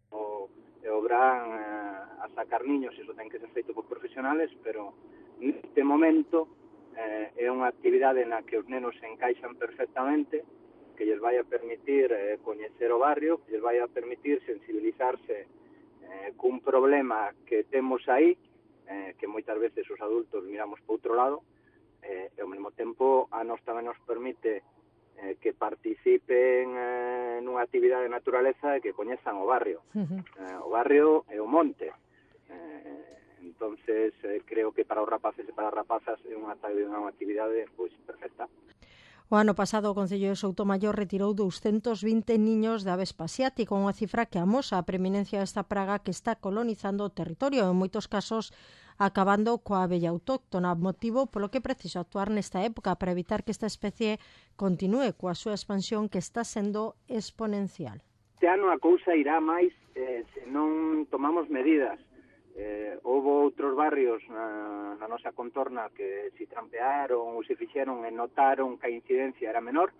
o, o gran eh, a sacar niños, iso ten que ser feito por profesionales, pero neste momento eh, é unha actividade na que os nenos se encaixan perfectamente, que lles vai a permitir eh, coñecer o barrio, que lles vai a permitir sensibilizarse eh, cun problema que temos aí, eh, que moitas veces os adultos miramos para outro lado, eh, e ao mesmo tempo a nós tamén nos permite eh, que participen eh, nunha actividade de naturaleza e que coñezan o barrio. Uh-huh. Eh, o barrio e o monte. Eh, entonces, eh, creo que para os rapaces e para as rapazas é unha, unha actividade pois, perfecta. O ano pasado o Concello de Soutomaior retirou doscientos veinte niños de avespa asiática, unha cifra que amosa a preeminencia desta praga que está colonizando o territorio, en moitos casos acabando coa abella autóctona, motivo polo que é preciso actuar nesta época para evitar que esta especie continúe coa súa expansión que está sendo exponencial. Este ano a cousa irá máis eh, se non tomamos medidas. Eh, houve outros barrios na, na nosa contorna que se trampearon ou se fixeron e notaron que a incidencia era menor.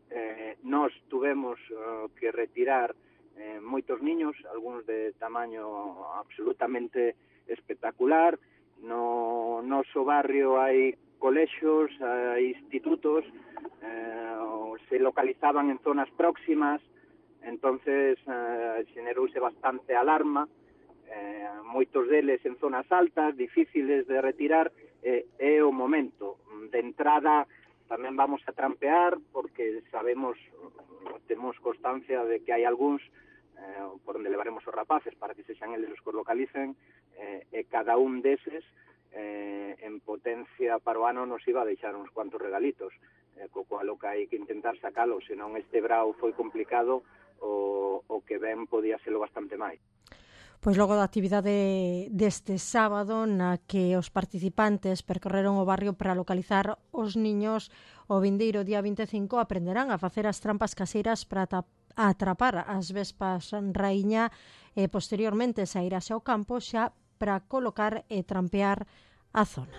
Eh, nós tuvemos uh, que retirar eh, moitos niños, algúns de tamaño absolutamente espectacular. No noso barrio hai colexios, hai institutos, eh, se localizaban en zonas próximas, entonces eh, xenerouse bastante alarma. Eh, moitos deles en zonas altas, difíciles de retirar, eh, é o momento. De entrada tamén vamos a trampear porque sabemos, temos constancia de que hai algúns eh, por onde levaremos os rapaces para que sexan eles os que os localicen, eh, e cada un deses eh, en potencia para o ano nos iba a deixar uns cuantos regalitos, eh, co cual o que hai que intentar sacalo, senón este brao foi complicado, o, o que ben podía serlo bastante máis. Pois logo da actividade deste sábado na que os participantes percorreron o barrio para localizar os niños, o vindeiro día vinte e cinco aprenderán a facer as trampas caseiras para atrapar as vespas raíña e posteriormente sairase ao campo xa para colocar e trampear a zona.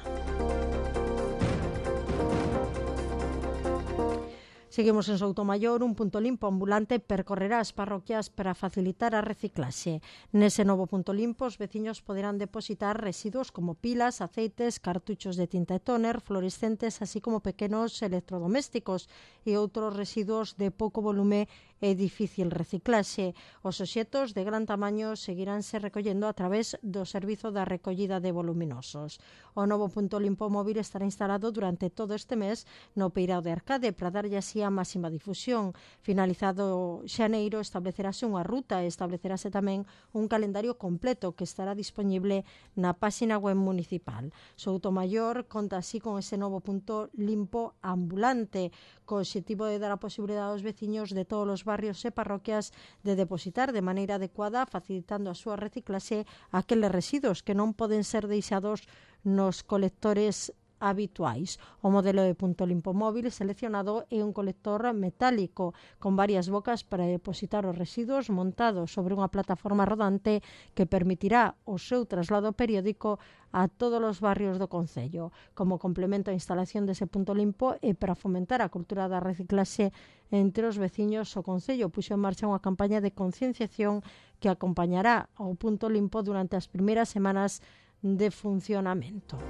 Seguimos en Soutomaior, un punto limpo ambulante percorrerá as parroquias para facilitar a reciclaxe. Nese novo punto limpo, os veciños poderán depositar residuos como pilas, aceites, cartuchos de tinta e tóner, fluorescentes, así como pequenos electrodomésticos e outros residuos de pouco volume e difícil reciclaxe. Os obxetos de gran tamaño seguiránse recollendo a través do servizo da recollida de voluminosos. O novo punto limpo móvil estará instalado durante todo este mes no Peirao de Arcade para darlle así a máxima difusión. Finalizado xaneiro establecerase unha ruta e establecerase tamén un calendario completo que estará disponible na páxina web municipal. Soutomaior conta así con ese novo punto limpo ambulante co obxectivo de dar a posibilidade aos veciños de todos os barrios e parroquias de depositar de maneira adecuada, facilitando a súa reciclaxe aqueles residuos que non poden ser deixados nos colectores habituais. O modelo de punto limpo móvil seleccionado é un colector metálico con varias bocas para depositar os residuos montados sobre unha plataforma rodante que permitirá o seu traslado periódico a todos os barrios do concello. Como complemento á instalación dese punto limpo e para fomentar a cultura da reciclaxe entre os veciños, o concello puxo en marcha unha campaña de concienciación que acompañará ao punto limpo durante as primeiras semanas de funcionamento.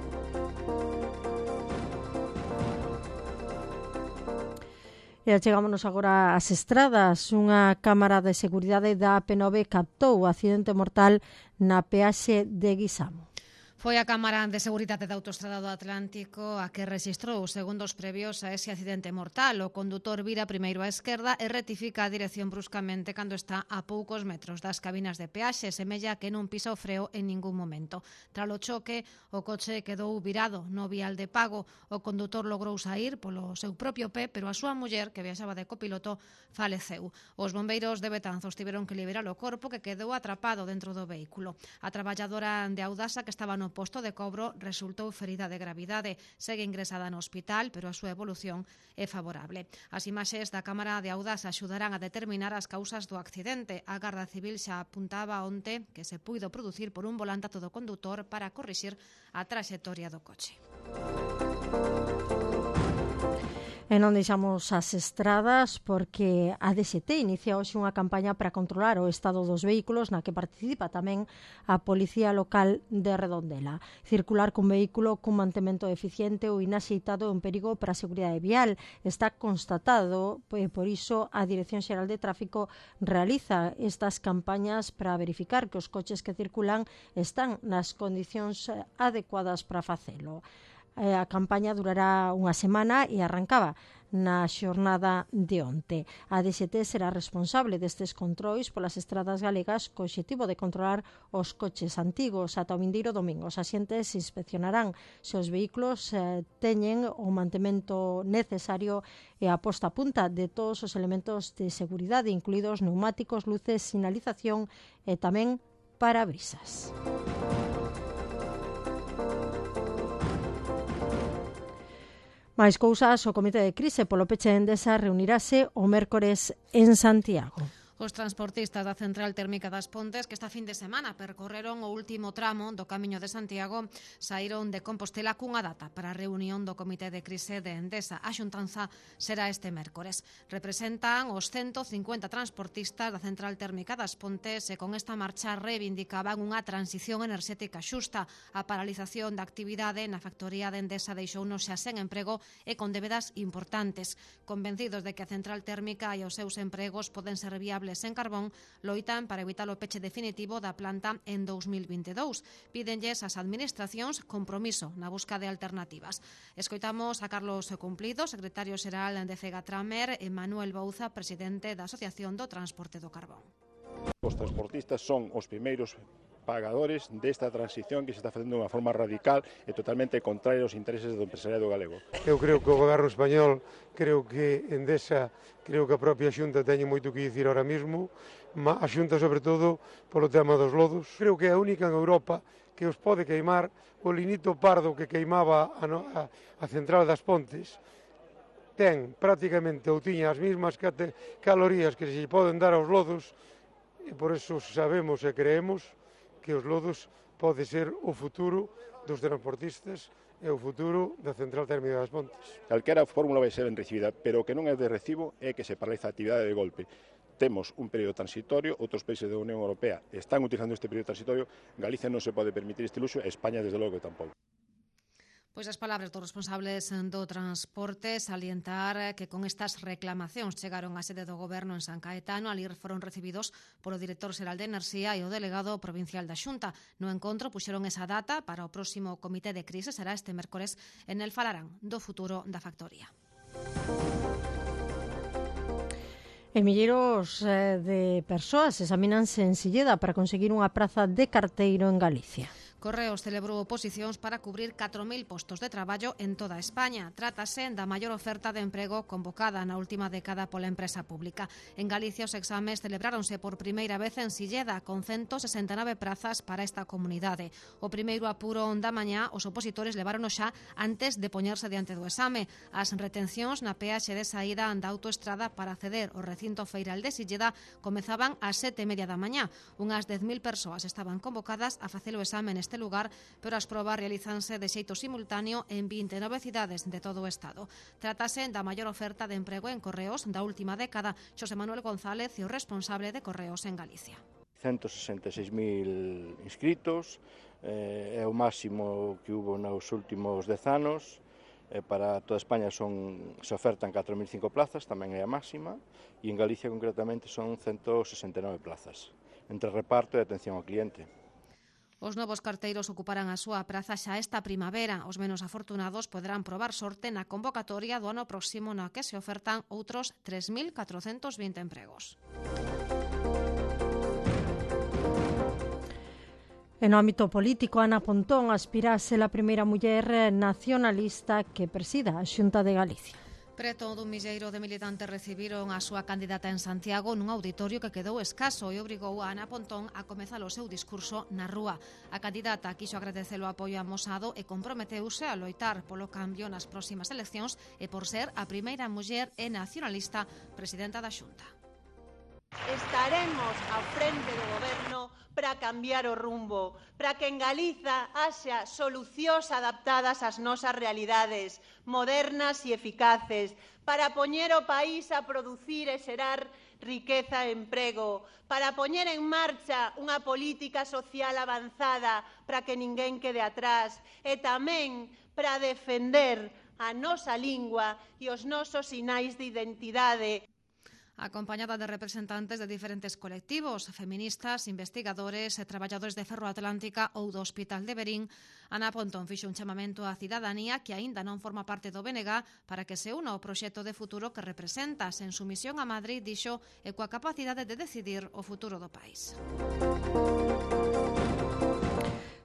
E chegámonos agora ás estradas. Unha cámara de seguridade da A P nove captou o accidente mortal na peaxe de Guisamo. Foi a Cámara de Seguridade da Autostrada do Atlántico a que rexistrou os segundos previos a ese accidente mortal. O condutor vira primeiro á esquerda e rectifica a dirección bruscamente cando está a poucos metros das cabinas de peaxe. Semella que non pisa o freo en ningún momento. Tras o choque, o coche quedou virado no vial de pago. O condutor logrou sair polo seu propio pé, pero a súa muller, que viaxaba de copiloto, faleceu. Os bombeiros de Betanzos tiveron que liberar o corpo que quedou atrapado dentro do vehículo. A traballadora de Audasa, que estaba no posto de cobro, resultou ferida de gravidade. Segue ingresada no hospital, pero a súa evolución é favorable. As imaxes da Cámara de Audasa axudarán a determinar as causas do accidente. A Garda Civil xa apuntaba onte que se puido producir por un volantazo do condutor para corrixir a traxectoria do coche. E non deixamos as estradas porque a D X T inicia hoxe unha campaña para controlar o estado dos vehículos na que participa tamén a Policía Local de Redondela. Circular cun vehículo cun mantemento eficiente ou inaxeitado é un perigo para a seguridade vial. Está constatado, e por iso a Dirección Xeral de Tráfico realiza estas campañas para verificar que os coches que circulan están nas condicións adecuadas para facelo. A campaña durará unha semana e arrancaba na xornada de onte. A D X T será responsable destes controis polas estradas galegas co obxectivo de controlar os coches antigos. Ata o vindeiro domingo os axentes inspeccionarán se os vehículos eh, teñen o mantemento necesario e a posta a punta de todos os elementos de seguridade, incluídos neumáticos, luces, sinalización e tamén parabrisas. Máis cousas, o Comité de Crise polo peche de Endesa reunirase o mércores en Santiago. Os transportistas da Central Térmica das Pontes, que esta fin de semana percorreron o último tramo do Camiño de Santiago, saíron de Compostela cunha data para a reunión do Comité de Crise de Endesa. A xuntanza será este mércores. Representan os ciento cincuenta transportistas da Central Térmica das Pontes e con esta marcha reivindicaban unha transición enerxética xusta. A paralización da actividade na factoría de Endesa deixounos xa sen emprego e con débedas importantes. Convencidos de que a Central Térmica e os seus empregos poden ser viables en carbón, loitan para evitar o peche definitivo da planta en dous mil vinte e dous. Pídenlles ás administracións compromiso na busca de alternativas. Escoitamos a Carlos Cumplido, secretario xeral de Fegatramer, e Manuel Bouza, presidente da Asociación do Transporte do Carbón. Os transportistas son os primeiros pagadores desta transición que se está facendo de unha forma radical e totalmente contraria aos intereses do empresariado galego. Eu creo que o goberno español, creo que Endesa, creo que a propia Xunta teñe moito que dicir ahora mismo, a Xunta sobre todo polo tema dos lodos. Creo que é a única en Europa que os pode queimar o linito pardo que queimaba a, no, a, a central das Pontes. Ten prácticamente ou tiña as mesmas calorías que se poden dar aos lodos e por eso sabemos e creemos que os lodos pode ser o futuro dos transportistas e o futuro da Central Térmica das Pontes. Calquera fórmula vai ser ben recibida, pero o que non é de recibo é que se paraliza a actividade de golpe. Temos un período transitorio, outros países da Unión Europea están utilizando este período transitorio, Galicia non se pode permitir este luxo e España, desde logo, que tampouco. Pois as palabras dos responsables do transporte salientar que con estas reclamacións chegaron á sede do Goberno en San Caetano. Ali foron recibidos polo director xeral de Enerxía e o delegado provincial da Xunta. No encontro puxeron esa data para o próximo comité de crise, será este mércores, en el falarán do futuro da factoría. E milleiros eh, de persoas examinanse en Silleda para conseguir unha praza de carteiro en Galicia. Correos celebrou oposicións para cubrir catro mil postos de traballo en toda España. Trátase da maior oferta de emprego convocada na última década pola empresa pública. En Galicia os exames celebráronse por primeira vez en Silleda, con ciento sesenta e nove prazas para esta comunidade. O primeiro apuro da mañá os opositores levárono xa antes de poñerse diante do exame. As retencións na peaxe de saída da autoestrada para acceder ao recinto feiral de Silleda comezaban ás sete e media da mañá. Unhas dez mil persoas estaban convocadas a facer o exame neste lugar, pero as probas realizanse de xeito simultáneo en vinte e nove cidades de todo o Estado. Trátase da maior oferta de emprego en Correos da última década. Xosé Manuel González é o responsable de Correos en Galicia. ciento sesenta e seis mil inscritos, eh, é o máximo que hubo nos últimos dez anos. Eh, para toda España son, se ofertan catro mil cinco plazas, tamén é a máxima, e en Galicia concretamente son ciento sesenta e nove plazas, entre reparto e atención ao cliente. Os novos carteiros ocuparán a súa praza xa esta primavera. Os menos afortunados poderán probar sorte na convocatoria do ano próximo, na que se ofertan outros tres mil catrocentos vinte empregos. En o ámbito político, Ana Pontón aspira a ser a primeira muller nacionalista que presida a Xunta de Galicia. Preto dun milleiro de militantes recibiron a súa candidata en Santiago nun auditorio que quedou escaso e obrigou a Ana Pontón a comezar o seu discurso na rúa. A candidata quiso agradecer o apoio amosado e comprometeuse a loitar polo cambio nas próximas eleccións e por ser a primeira muller e nacionalista presidenta da Xunta. Estaremos ao frente do goberno para cambiar o rumbo, para que en Galiza haxa solucións adaptadas ás nosas realidades, modernas e eficaces, para poñer o país a producir e xerar riqueza e emprego, para poñer en marcha unha política social avanzada para que ninguén quede atrás e tamén para defender a nosa lingua e os nosos sinais de identidade. acompañada de representantes de diferentes colectivos, feministas, investigadores e traballadores de Ferroatlántica ou do Hospital de Verín. Ana Pontón fixo un chamamento á cidadanía que aínda non forma parte do B N G para que se una ao proxecto de futuro que representa. En su misión a Madrid, dixo, e coa capacidade de decidir o futuro do país.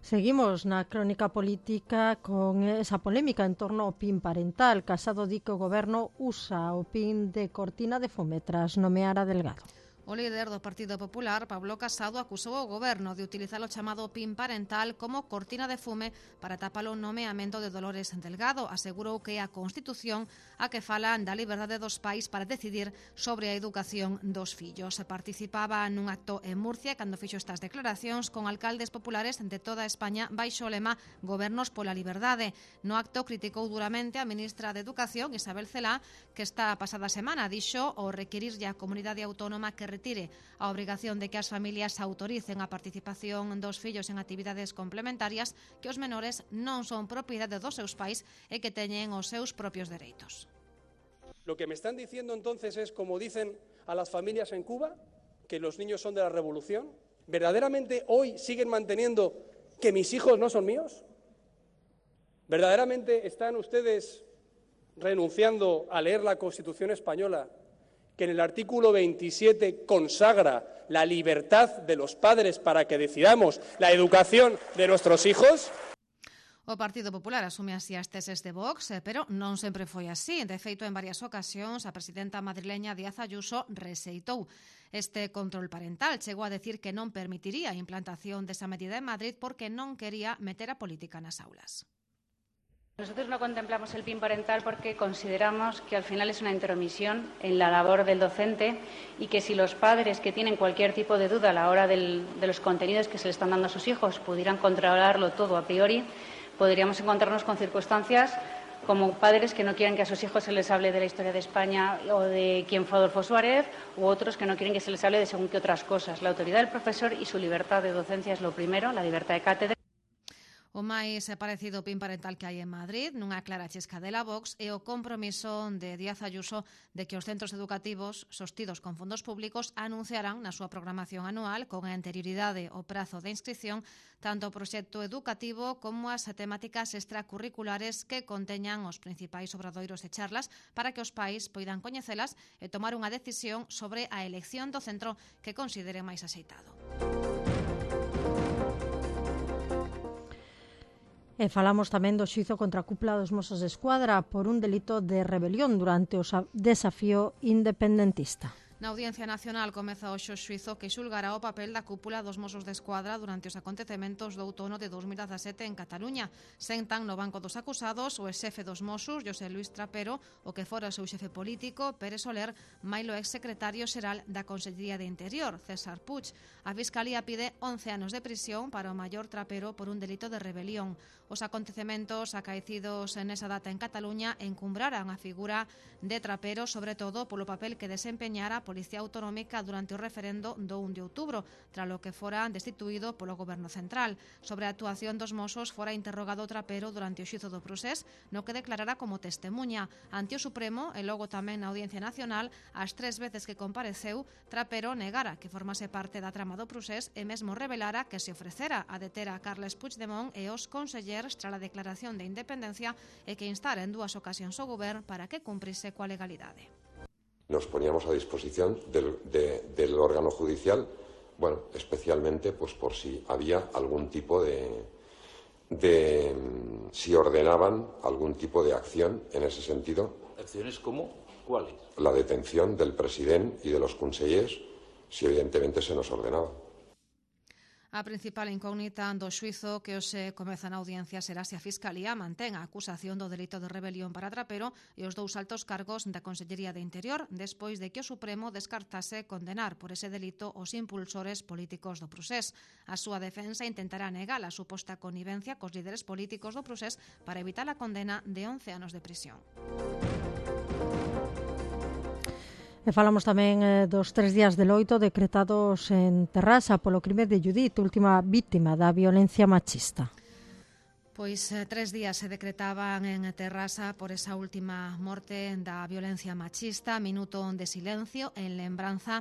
Seguimos na crónica política con esa polémica en torno ao P I N parental. Casado di que o goberno usa o P I N de cortina de fume tras nomear a Delgado. O líder do Partido Popular, Pablo Casado, acusou o goberno de utilizar o chamado P I N parental como cortina de fume para tapar o nomeamento de Dolores Delgado. Asegurou que é a Constitución a que fala da liberdade dos pais para decidir sobre a educación dos fillos. Participaba nun acto en Murcia cando fixo estas declaracións con alcaldes populares de toda España baixo o lema Gobernos pola liberdade. No acto criticou duramente a ministra de Educación, Isabel Celaá, que esta pasada semana dixo o requirirlle á comunidade autónoma que retire a obrigación de que as familias autoricen a participación dos fillos en actividades complementarias, que os menores non son propiedade dos seus pais e que teñen os seus propios dereitos. Lo que me están diciendo entonces es, como dicen a las familias en Cuba, que los niños son de la revolución. ¿Verdaderamente hoy siguen manteniendo que mis hijos no son míos? ¿Verdaderamente están ustedes renunciando a leer la Constitución española, que en el artículo veintisiete consagra la libertad de los padres para que decidamos la educación de nuestros hijos? O Partido Popular asume así as teses de Vox, pero non sempre foi así. De feito, en varias ocasións, a presidenta madrileña Díaz Ayuso rexeitou este control parental. Chegou a decir que non permitiría a implantación desa medida en Madrid porque non quería meter a política nas aulas. Nosotros no contemplamos el P I N parental porque consideramos que al final es una intromisión en la labor del docente y que si los padres que tienen cualquier tipo de duda a la hora del, de los contenidos que se le están dando a sus hijos pudieran controlarlo todo a priori, podríamos encontrarnos con circunstancias como padres que no quieren que a sus hijos se les hable de la historia de España o de quién fue Adolfo Suárez, u otros que no quieren que se les hable de según qué otras cosas. La autoridad del profesor y su libertad de docencia es lo primero, la libertad de cátedra. O máis parecido P I N parental que hai en Madrid, nunha clara chescadela Vox, é o compromiso de Díaz Ayuso de que os centros educativos sostidos con fondos públicos anunciarán na súa programación anual con anterioridade ao prazo de inscripción tanto o proxecto educativo como as temáticas extracurriculares que conteñan os principais obradoiros e charlas para que os pais poidan coñecelas e tomar unha decisión sobre a elección do centro que considere máis axeitado. E falamos tamén do xuízo contra a cúpula dos Mossos de Escuadra por un delito de rebelión durante o desafío independentista. Na Audiencia Nacional comeza hoxe o xuízo que xulgará o papel da cúpula dos Mossos de Escuadra durante os acontecementos do outono de dos mil dezasete en Cataluña. Sentan no banco dos acusados o ex-xefe dos Mossos, José Luis Trapero, o que fora o seu xefe político, Pérez Soler, mailo ex-secretario xeral da Consellería de Interior, César Puig. A Fiscalía pide once anos de prisión para o maior Trapero por un delito de rebelión. Os acontecementos acaecidos nesa data en Cataluña encumbraran a figura de Trapero, sobre todo polo papel que desempeñara a Policía Autonómica durante o referendo do un de outubro, tralo que fora destituído polo Goberno Central. Sobre a actuación dos Mossos fora interrogado Trapero durante o xuízo do procés, no que declarara como testemunha. Ante o Supremo, e logo tamén na Audiencia Nacional, as tres veces que compareceu, Trapero negara que formase parte da trama do procés e mesmo revelara que se ofrecera a deter a Carles Puigdemont e os consellers tras a declaración de independencia e que instara en dúas ocasións o Govern para que cumprise coa legalidade. Nos poníamos a disposición del, de, del órgano judicial, bueno, especialmente pues por si había algún tipo de, de, si ordenaban algún tipo de acción en ese sentido. ¿Acciones como cuáles? La detención del presidente y de los consellers, si evidentemente se nos ordenaba. A principal incógnita do xuízo que hoxe comeza na audiencia será se a Fiscalía mantén a acusación do delito de rebelión para Trapero e os dous altos cargos da Consellería de Interior despois de que o Supremo descartase condenar por ese delito os impulsores políticos do procés. A súa defensa intentará negar a suposta connivencia cos líderes políticos do procés para evitar a condena de once anos de prisión. E falamos tamén eh, dos tres días de loito decretados en Terrasa polo crime de Judith, última víctima da violencia machista. Pois eh, tres días se decretaban en Terrasa por esa última morte da violencia machista, minuto de silencio en lembranza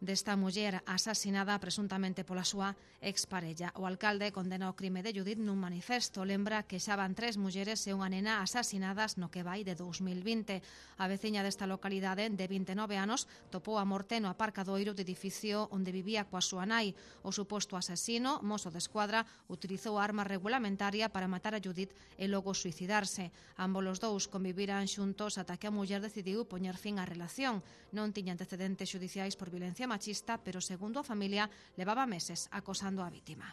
desta muller asasinada presuntamente pola súa exparella. O alcalde condena o crime de Judith nun manifesto. Lembra que xa van tres mulleres e unha nena asasinadas no que vai de dous mil vinte. A veciña desta localidade de vinte e nove anos topou a morte no aparcadoiro do edificio onde vivía coa súa nai. O suposto asesino, mozo de escuadra, utilizou a arma regulamentaria para matar a Judith e logo suicidarse. Ambos os dous conviviran xuntos ata que a muller decidiu poñer fin á relación. Non tiña antecedentes xudiciais por violencia machista, pero segundo a familia levaba meses acosando a vítima.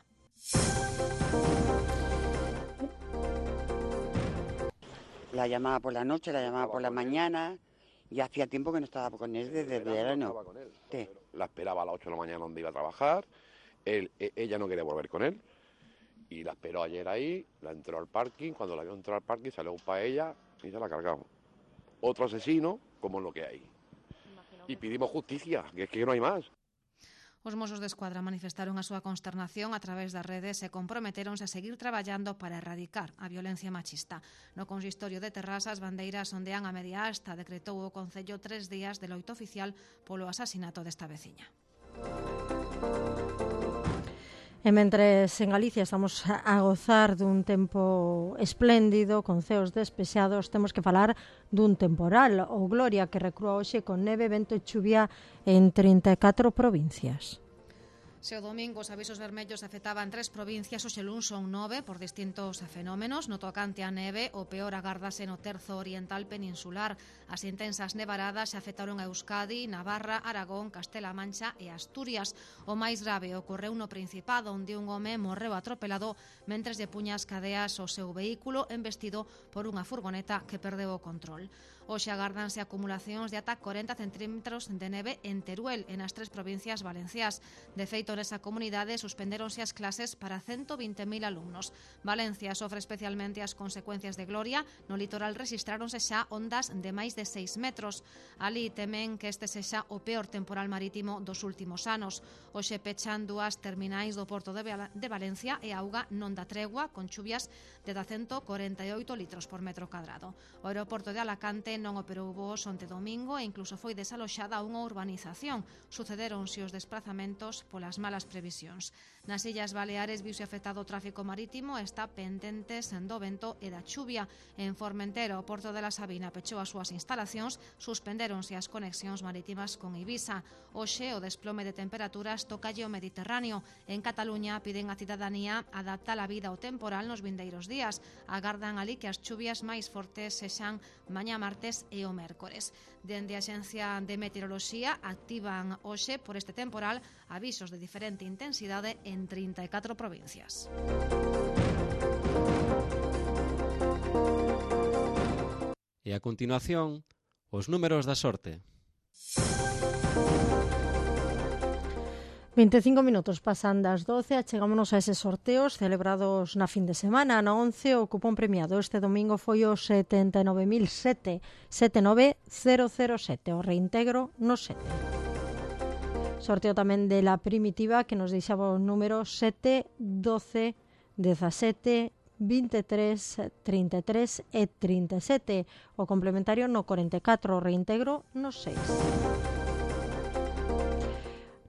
La llamaba por la noche, la llamaba por la mañana y hacía tiempo que no estaba con él desde el verano. No estaba con él. Sí. La esperaba a las ocho de la mañana donde iba a trabajar, él, e- ella no quería volver con él y la esperó ayer ahí, la entró al parking, cuando la vio entrar al parking salió para ella y se la cargamos. Otro asesino como lo que hay. Y pedimos justicia, que es que no hay más. Os mozos de escuadra manifestaron a súa consternación a través das redes e comprometeronse a seguir traballando para erradicar a violencia machista. No consistorio de Terrasa, as bandeiras ondean a media asta. Decretou o Concello tres días de loito oficial polo asasinato desta veciña. E mentres en Galicia estamos a gozar dun tempo espléndido, con ceos despexados, temos que falar dun temporal, o Gloria, que recrúa hoxe con neve, vento e chuvia en trinta e catro provincias. Se o domingo os avisos vermellos afectaban tres provincias, hoxe luns son nove por distintos fenómenos. No tocante a neve, o peor agárdase no terzo oriental peninsular. As intensas nevaradas se afectaron a Euskadi, Navarra, Aragón, Castela-A Mancha e Asturias. O máis grave ocorreu no Principado, onde un home morreu atropelado mentres lle puña as cadeas ao seu vehículo embestido por unha furgoneta que perdeu o control. Hoxe agárdanse acumulacións de ata corenta centímetros de neve en Teruel, e nas tres provincias valenciás. De feito, nesa comunidade suspendéronse as clases para ciento vinte mil alumnos. Valencia sofre especialmente as consecuencias de Gloria. No litoral rexistráronse xa ondas de máis de seis metros. Ali temen que este sexa o peor temporal marítimo dos últimos anos. Hoxe pechan dúas terminais do Porto de, Val- de Valencia e a auga non dá tregua, con chuvias de ata ciento corenta e oito litros por metro cadrado. O aeroporto de Alacante non operou voos onte domingo e incluso foi desaloxada unha urbanización. Sucederonse os desprazamentos polas malas previsións. Nas Illas Baleares viuse afectado o tráfico marítimo e está pendentes do vento e da chuvia. En Formentera, o Porto de la Sabina pechou as súas instalacións, suspendéronse as conexións marítimas con Ibiza. Hoxe, o desplome de temperaturas tocalle o Mediterráneo. En Cataluña piden a cidadanía adaptar a vida ao temporal nos vindeiros días. Agardan ali que as chuvias máis fortes sexan mañá martes e o mércores. Dende a Axencia de Meteoroloxía activan hoxe por este temporal avisos de diferente intensidade en trinta e catro provincias. E a continuación, os números da sorte. vinte e cinco minutos pasan das doce, achegámonos a eses sorteos celebrados na fin de semana. Na once, o cupón premiado este domingo foi o setenta e nove mil sete, setenta e nove mil sete, o reintegro no sete. Sorteo tamén de la primitiva, que nos deixaba o número sete, doce, dezasete, vinte e tres, trinta e tres e trinta e sete. O complementario no corenta e catro, o reintegro no seis.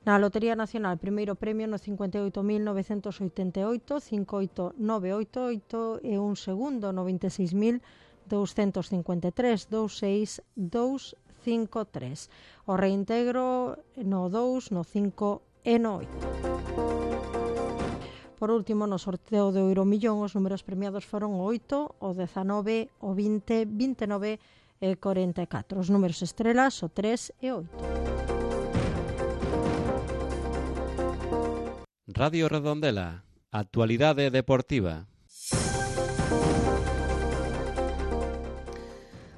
Na Lotería Nacional, primeiro premio no cincuenta e oito mil novecentos oitenta e oito, cinco oito nove oito oito, e un segundo no vinte e seis mil douscentos cincuenta e tres, vinte e seis mil doscientos cincuenta e tres. O reintegro no dous, no cinco e no oito. Por último, no sorteo do Euromillón, os números premiados foron o oito, o dezanove, o vinte, vinte e nove e corenta e catro. Os números estrelas, o tres e oito. Radio Redondela, actualidade deportiva.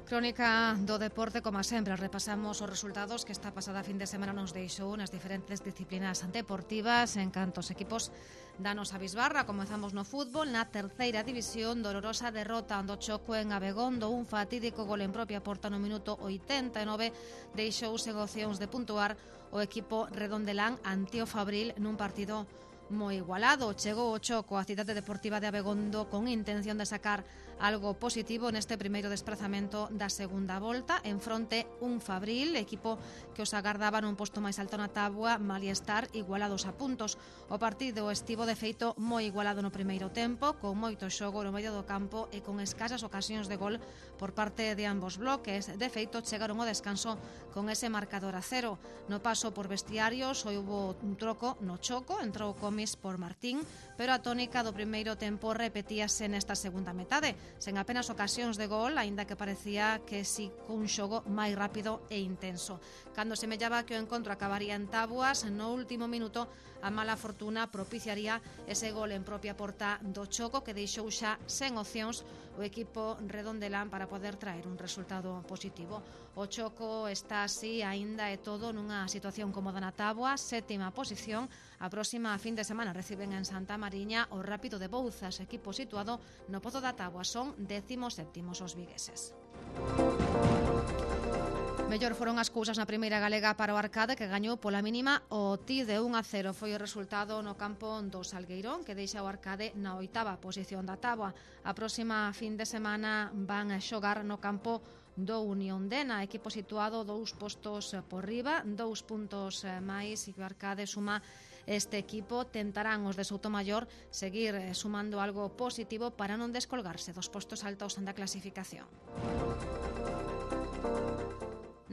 Crónica do deporte, como sempre, repasamos os resultados que esta pasada fin de semana nos deixou nas diferentes disciplinas deportivas en cantos equipos danos a bisbarra. Comezamos no fútbol, na terceira división, dolorosa derrota do Choco en Abegondo, un fatídico gol en propia porta no minuto oitenta e nove deixou sen opcións de puntuar o equipo redondelán ante o Fabril nun partido moi igualado. Chegou o choco a Cidade Deportiva de Abegondo con intención de sacar algo positivo neste primeiro desprazamento da segunda volta. En fronte un Fabril, equipo que os agardaba nun posto máis alto na táboa, malia estar igualados a puntos. O partido estivo de feito moi igualado no primeiro tempo, con moito xogo no medio do campo e con escasas ocasións de gol por parte de ambos bloques. De feito, chegaron ao descanso con ese marcador a cero. No paso por vestiarios, houbo un troco no choco, entrou Comis por Martín, pero a tónica do primeiro tempo repetíase nesta segunda metade, sen apenas ocasións de gol, aínda que parecía que si cun xogo máis rápido e intenso. Cando semellaba que o encontro acabaría en táboas, no último minuto a mala fortuna propiciaría ese gol en propia porta do choco que deixou xa sen opcións o equipo redondelán para poder traer un resultado positivo. O choco está así aínda e todo nunha situación cómoda na táboa, sétima posición. A próxima fin de semana reciben en Santa Mariña o Rápido de Bouzas, equipo situado no Pozo da Táboa. Son décimos séptimos os vigueses. Mellor foron as cousas na primeira galega para o Arcade, que gañou pola mínima o T de un a cero. Foi o resultado no campo do Salgueirón, que deixa o Arcade na oitava posición da táboa. A próxima fin de semana van a xogar no campo do Unión Dena, equipo situado dous postos por riba, dous puntos máis, e que o Arcade suma este equipo. Tentarán os de Soutomaior seguir sumando algo positivo para non descolgarse dos postos altos da clasificación.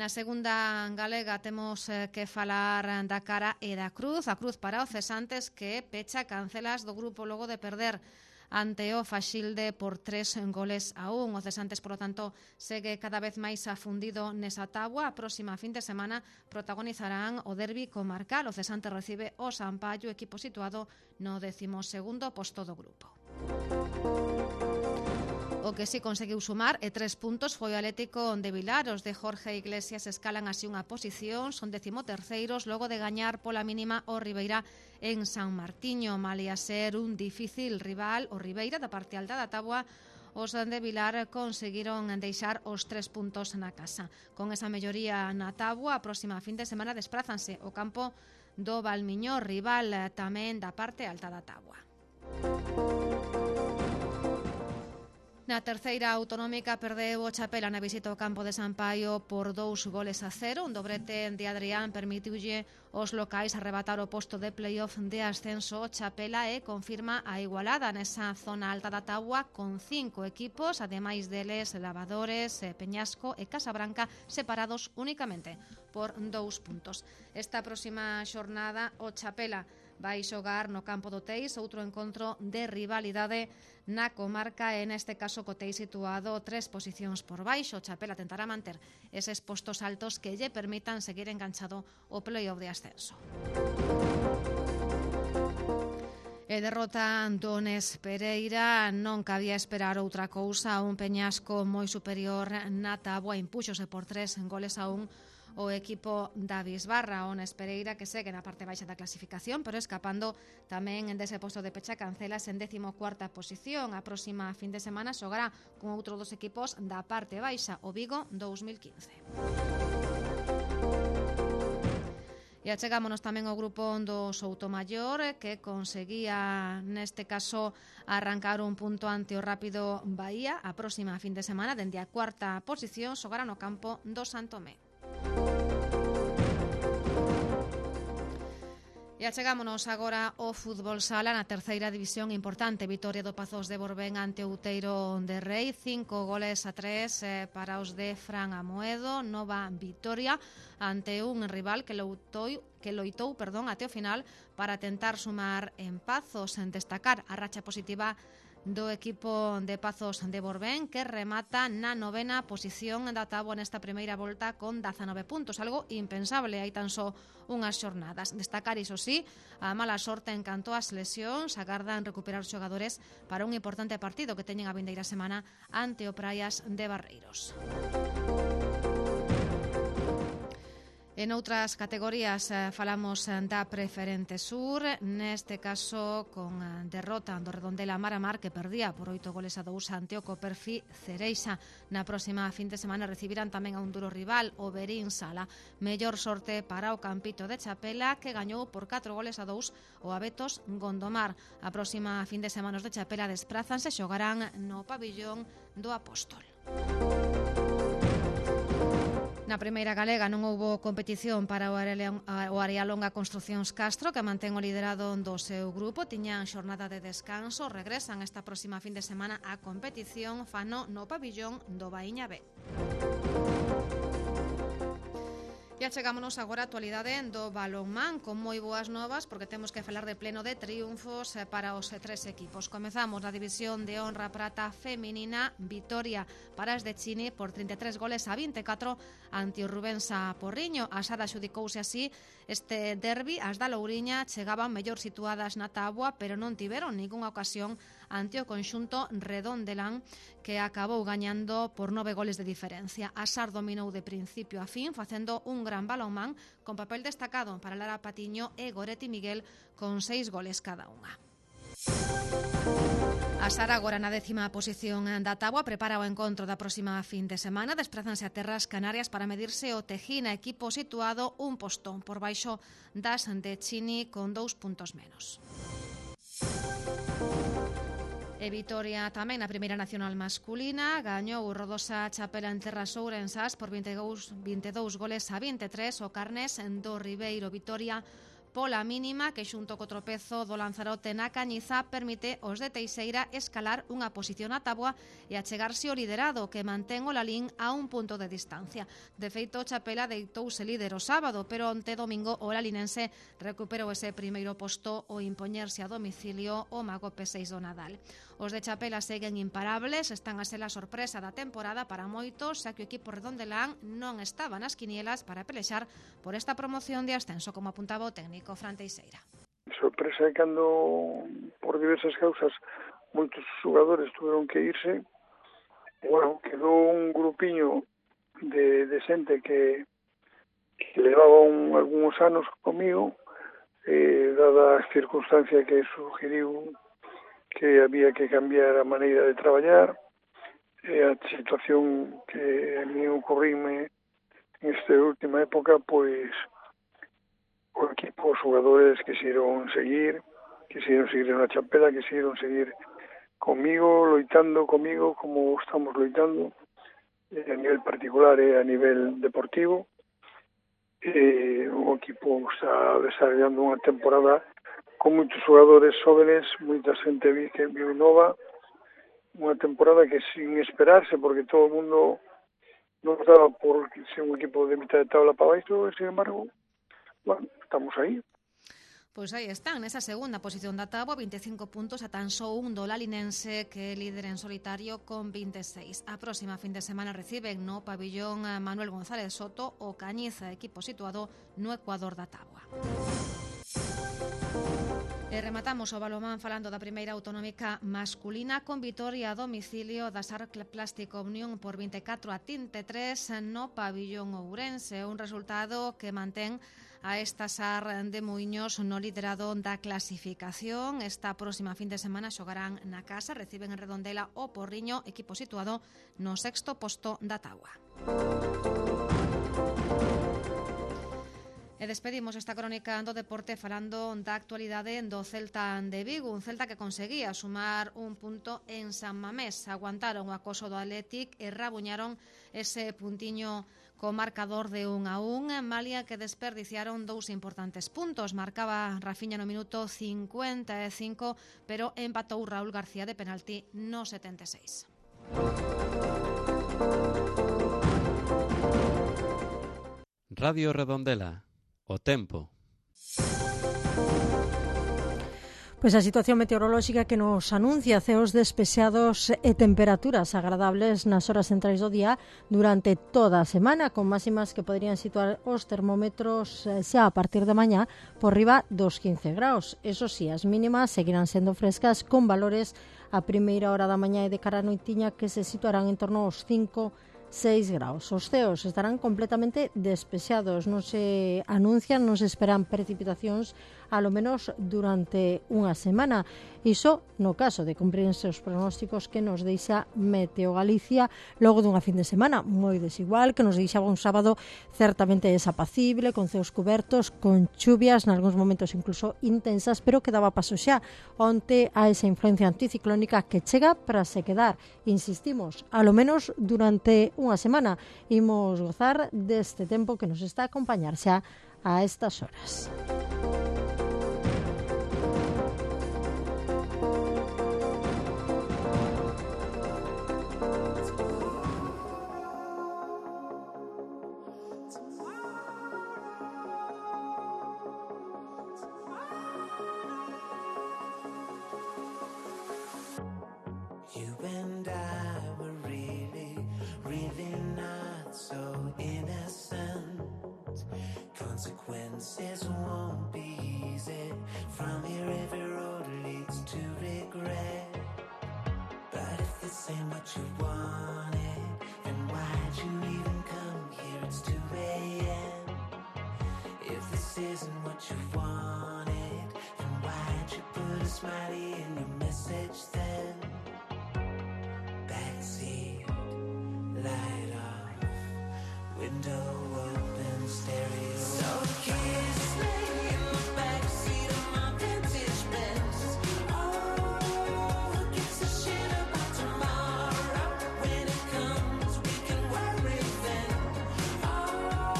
Na segunda galega temos que falar da cara e da cruz. A cruz para o Cesantes, que pecha cancelas do grupo logo de perder ante o Faxilde por tres goles a un. O Cesantes, por lo tanto, segue cada vez máis afundido nesa táboa. A próxima fin de semana protagonizarán o derbi comarcal. O Cesantes recibe o Sampaio, equipo situado no décimo segundo posto do grupo. O que si conseguiu sumar e tres puntos foi o Atlético de Vilar. Os de Jorge Iglesias escalan así unha posición, son decimoterceiros logo de gañar pola mínima o Ribeira en San Martiño. Malia ser un difícil rival, o Ribeira da parte alta da táboa, os de Vilar conseguiron deixar os tres puntos na casa. Con esa melloría na táboa, a próxima fin de semana desprázanse o campo do Valmiñor, rival tamén da parte alta da táboa. Na terceira autonómica perdeu o Chapela na visita ao campo de Sampaio por dous goles a cero. Un dobrete de Adrián permitiulle os locais arrebatar o posto de playoff de ascenso. O Chapela e confirma a igualada nesa zona alta da táboa con cinco equipos, ademais deles Lavadores, Peñasco e Casabranca, separados únicamente por dous puntos. Esta próxima xornada o Chapela vai xogar no campo do Teis, outro encontro de rivalidade na comarca, e neste caso co Teis situado tres posicións por baixo. O Chapela tentará manter eses postos altos que lle permitan seguir enganchado o playoff de ascenso. E derrota Dones Pereira, non cabía esperar outra cousa. Un Peñasco moi superior na táboa impúxose por tres goles a un o equipo da Bisbarra. Ones Pereira, que segue na parte baixa da clasificación, pero escapando tamén dese posto de pecha cancelas en décimo cuarta posición. A próxima fin de semana xogará con outro dos equipos da parte baixa, o Vigo dous mil quince. E achegámonos tamén ao grupo do Soutomaior, que conseguía neste caso arrancar un punto ante o Rápido Bahía. A próxima fin de semana, dende a cuarta posición, xogará no campo do Santomé. E achegámonos agora ao fútbol sala na terceira división. Importante vitoria do Pazos de Borbén ante o Outeiro de Rei, cinco goles a tres eh, para os de Fran Amoedo. Nova vitoria ante un rival que loitou, que loitou perdón, até o final para tentar sumar en Pazos. En destacar a racha positiva do equipo de Pazos de Borbén, que remata na novena posición da táboa nesta primeira volta con dezanove puntos, algo impensable hai tan só unhas xornadas. Destacar, iso sí, a mala sorte en canto ás lesións. Agardan recuperar os xogadores para un importante partido que teñen a vindeira semana ante o Praias de Barreiros. En outras categorías eh, falamos eh, da Preferente Sur, neste caso con eh, derrota do Redondela Maramar, que perdía por oito goles a dous ante o Coperfi Cereixa. Na próxima fin de semana recibirán tamén a un duro rival, o Verín Sala. Mellor sorte para o Campito de Chapela, que gañou por catro goles a dous o Abetos Gondomar. A próxima fin de semana os de Chapela desprázanse, xogarán no pabillón do Apóstol. Na primeira galega non houbo competición para o Arealonga Construcións Castro, que mantén o liderado do seu grupo. Tiñan xornada de descanso, regresan esta próxima fin de semana a competición, fano no pabillón do Baíña B. E achegámonos agora a actualidade do balonmán con moi boas novas, porque temos que falar de pleno de triunfos para os tres equipos. Comezamos na división de honra prata feminina, vitoria para as de Chini por trinta e tres goles a vinte e catro ante o Rubensa Porriño. A Sara xudicouse así este derbi, as da Louriña chegaban mellor situadas na táboa, pero non tiveron ningunha ocasión ante o conxunto redondelán, que acabou gañando por nove goles de diferencia. A Sar dominou de principio a fin, facendo un gran balonmán con papel destacado para Lara Patiño e Goretti Miguel con seis goles cada unha. A Sara agora na décima posición da táboa prepara o encontro da próxima fin de semana. Desprázanse a terras canarias para medirse o Tejina, equipo situado un postón por baixo das de Chini con dous puntos menos. E Vitoria tamén na primeira nacional masculina gañou o Rodosa Chapela en terras ourensás por vinte e dous goles a vinte e tres. O Carnés do Ribeiro Vitoria pola mínima, que xunto co tropezo do Lanzarote na Cañiza permite aos de Teixeira escalar unha posición a táboa e achegarse ao liderado, que mantén o Lalín a un punto de distancia. De feito, Chapela deitouse líder o sábado, pero onte domingo o lalinense recuperou ese primeiro posto ao impoñerse a domicilio o Mago P seis do Nadal. Os de Chapela seguen imparables, están a ser a sorpresa da temporada para moitos, xa que o equipo redondelán non estaba nas quinielas para pelexar por esta promoción de ascenso, como apuntaba o técnico Fran Teixeira. Sorpresa é cando, por diversas causas, moitos xogadores tuveron que irse. Bueno, quedou un grupiño de, de xente que, que levaba un, algúns anos comigo, eh, dada a circunstancia que sugeriu que había que cambiar a maneira de traballar, e a situación que a mí ocorríme nesta última época, pois o equipo, os xogadores quixeron seguir, quixeron seguir na Chapela, quixeron seguir comigo, loitando comigo como estamos loitando, a nivel particular e a nivel deportivo. E o equipo está desarrollando unha temporada con moitos xogadores jóvenes, moita xente que vive nova, unha temporada que sin esperarse, porque todo o mundo non estaba por ser un equipo de mitad de tabla para baixo, e sin embargo, bueno, estamos aí. Pois aí están, nesa segunda posición da táboa, vinte e cinco puntos, a tan só un do lalinense, que é líder en solitario con vinte e seis. A próxima fin de semana reciben no pabillón Manuel González Soto o Cañiza, equipo situado no ecuador da táboa. E rematamos o balonmán falando da primeira autonómica masculina con vitoria a domicilio da Sar Plástico Unión por vinte e catro a vinte e tres no pabillón ourense, un resultado que mantén a esta Sar de Muiños no liderado da clasificación. Esta próxima fin de semana xogarán na casa, reciben en Redondela o Porriño, equipo situado no sexto posto da táboa. E despedimos esta crónica do deporte falando da actualidade do Celta de Vigo, un Celta que conseguía sumar un punto en San Mamés. Aguantaron o acoso do Athletic e rabuñaron ese puntiño co marcador de un a un, malia que desperdiciaron dous importantes puntos. Marcaba Rafiña no minuto cincuenta e cinco, pero empatou Raúl García de penalti no setenta e seis. Radio Redondela. O tempo. Pois a situación meteorolóxica que nos anuncia ceos despexados e temperaturas agradables nas horas centrais do día durante toda a semana, con máximas que poderían situar os termómetros xa a partir de mañá por riba dos quince graus. Eso sí, as mínimas seguirán sendo frescas, con valores a primeira hora da mañá e de cara a noitiña que se situarán en torno aos cinco seis graus. Os ceos estarán completamente despexados, non se anuncian, non se esperan precipitacións a lo menos durante unha semana. Iso no caso de cumprirse os pronósticos que nos deixa Meteo Galicia logo dunha fin de semana moi desigual, que nos deixaba un sábado certamente desapacible, con ceos cubertos, con chuvias, nalgúns momentos incluso intensas, pero que daba paso xa onte a esa influencia anticiclónica que chega para se quedar, insistimos, a lo menos durante unha semana. Imos gozar deste tempo que nos está a acompañar xa a estas horas. You and I were really, really not so innocent. Consequences won't be easy. From here every road leads to regret. But if this ain't what you wanted, then why'd you even come here? It's two a.m. If this isn't what you wanted, then why'd you put a smiley in your message then? Backseat, light off, window open, stereo. So kiss me in the backseat of my vintage Benz. Oh, who gives a shit about tomorrow? When it comes, we can worry then. Oh,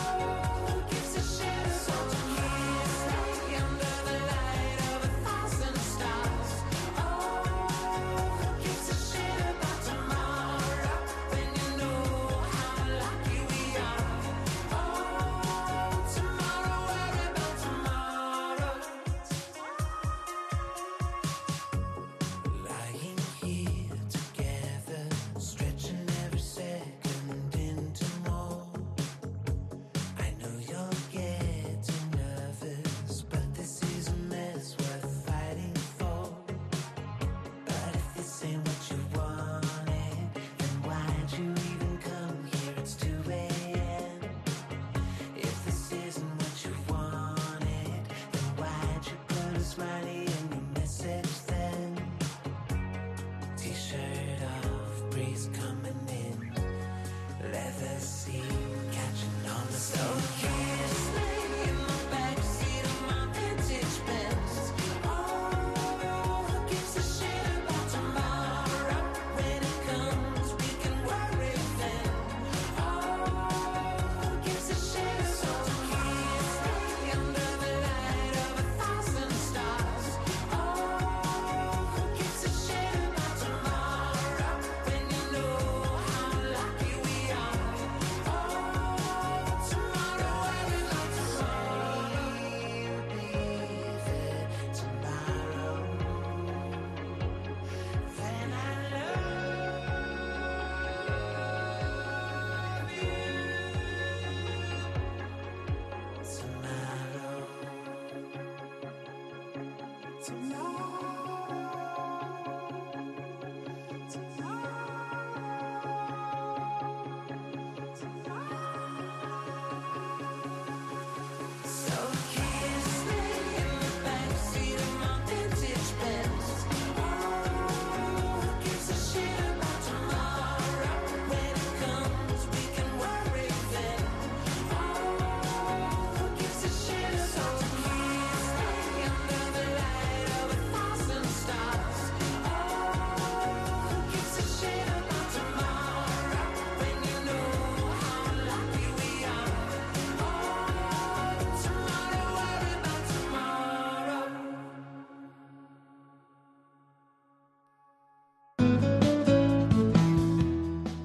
who gives a shit? So kiss me under the light of a thousand stars. Oh, who gives a shit about tomorrow? When you know how lucky we are. Oh, tomorrow, worry about tomorrow. Lying here together, stretching every second into more. I know you're getting nervous, but this is a mess worth fighting for. But if this ain't what you wanted, then why'd you even come here? It's two a.m. If this isn't what you wanted, then why'd you put a smiley in your message then? T-shirt off, breeze coming in, leather seat catching on the so kiss me in the backseat of my vintage Benz. Oh, who gives a shit about tomorrow? When it comes, we can worry then. Oh, who gives a shit? So kiss me under the light of a thousand stars. Oh, who gives a shit about tomorrow? When you know how lucky we are. Oh, tomorrow, worry about tomorrow. Be there tomorrow. Then I love you tomorrow. So kiss me in the backseat of my vintage Benz. Oh, who gives a shit about tomorrow? When it comes, we can worry then. Oh, who gives a shit? So kiss me under the light of a thousand stars. Oh, who gives a shit about tomorrow? When you know how lucky we are. Oh, tomorrow, worry about tomorrow.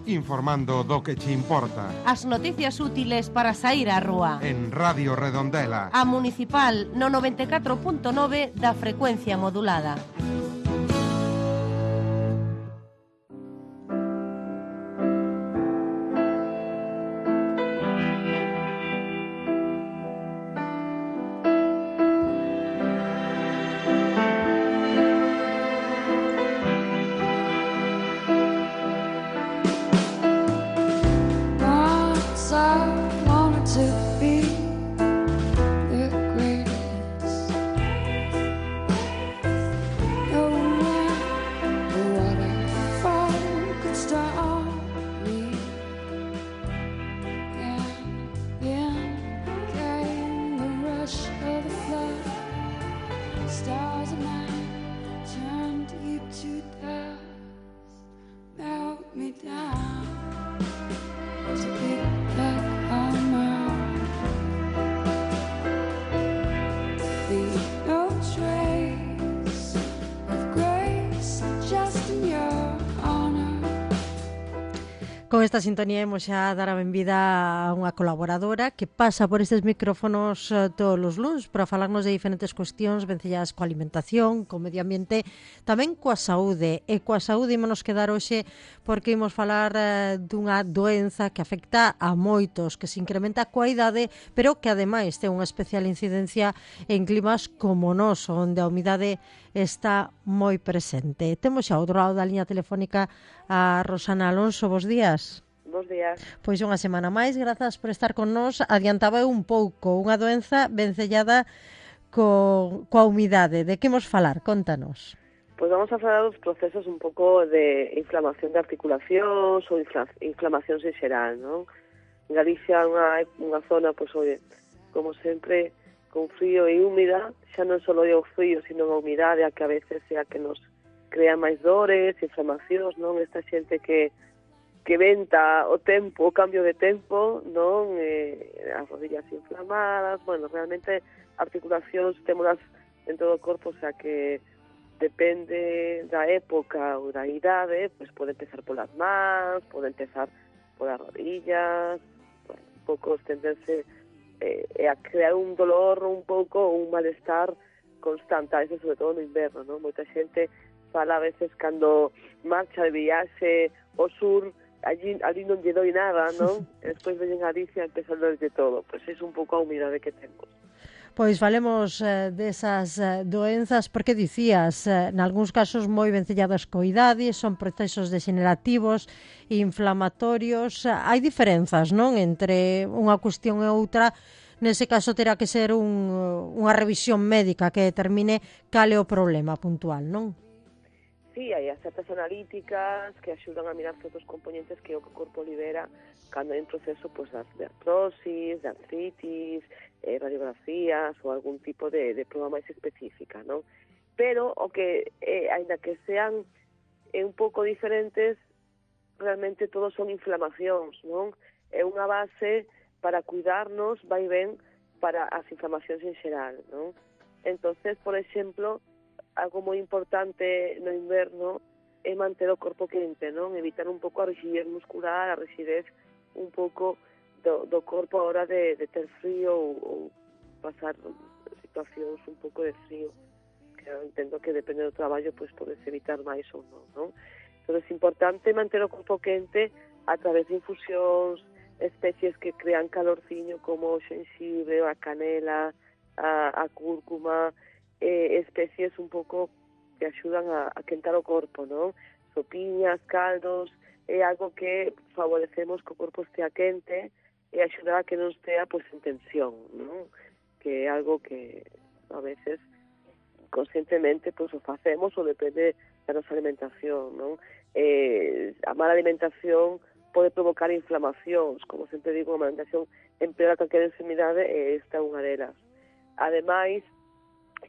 Informando do que che importa. As noticias útiles para sair á rúa. En Radio Redondela. A Municipal no noventa e catro punto nove da frecuencia modulada. Con esta sintonía imos xa dar a benvida a unha colaboradora que pasa por estes micrófonos eh, todos os luns para falarnos de diferentes cuestións vencelladas coa alimentación, co medio ambiente, tamén coa saúde. E coa saúde ímonos quedar hoxe porque imos falar eh, dunha doenza que afecta a moitos, que se incrementa coa idade, pero que ademais ten unha especial incidencia en climas como nós, onde a humidade está moi presente. Temos xa ao outro lado da liña telefónica a Rosana Alonso. Bos días. Bos días. Pois unha semana máis, grazas por estar con nós. Adiantaba eu un pouco, unha doenza vencellada co, coa humidade. De que imos falar? Contanos. Pois vamos a falar dos procesos un pouco de inflamación de articulacións ou infla, inflamacións en xeral, non? En Galicia unha, unha zona, pois, oye, como sempre, con frío e húmida, xa non só é o frío, sino a humidade, a que a veces é a que nos crea máis dores, inflamacións, non? Esta xente que que venta o tempo, o cambio de tempo, non? Eh, as rodillas inflamadas, bueno, realmente articulacións témolas en todo o corpo, o sea que depende da época ou da idade, pois pode empezar polas mans, pode empezar polas rodillas, bueno, un pouco estenderse eh, a crear un dolor un pouco, un malestar constante, a veces sobre todo no inverno, non? Moita xente fala a veces cando marcha de viaxe ao sur, allí, allí non lle doi nada, non? E despois veñen a Galicia e empezan a de todo. Pois é un pouco a humidade que temos. Pois falemos eh, desas eh, doenzas, porque dicías, eh, nalgúns casos moi vencelladas co idade, son procesos degenerativos e inflamatorios. Hai diferenzas, non? Entre unha cuestión e outra. Nese caso terá que ser un, unha revisión médica que determine cal é o problema puntual, non? Sí, hai as certas analíticas que axudan a mirar certos componentes que o corpo libera cando hai un proceso pois, de artrosis, de artritis, eh, radiografías ou algún tipo de, de prova máis específica, non? Pero o que, eh, ainda que sean eh, un pouco diferentes, realmente todos son inflamacións, non? É unha base para cuidarnos, vai ben para as inflamacións en xeral, non? Entonces, por exemplo, algo moi importante no inverno é manter o corpo quente, non? Evitar un pouco a rigidez muscular, a rigidez un pouco do, do corpo a hora de, de ter frío ou, ou pasar situacións un pouco de frío, que eu entendo que depende do traballo, pois podes evitar máis ou non, non? Entón é importante manter o corpo quente a través de infusións, especies que crean calorciño como o xenxibre, a canela, a, a cúrcuma, eh, especies un pouco que axudan a, a quentar o corpo, non? Sopiñas, caldos, é algo que favorecemos que o corpo estea quente e axudar a que non estea pois, en tensión, non? Que é algo que a veces conscientemente pois, o facemos ou depende da nosa alimentación, non? Eh, a mala alimentación pode provocar inflamacións, como sempre digo, a alimentación empeora calquera enfermidade e esta é unha delas. Ademais,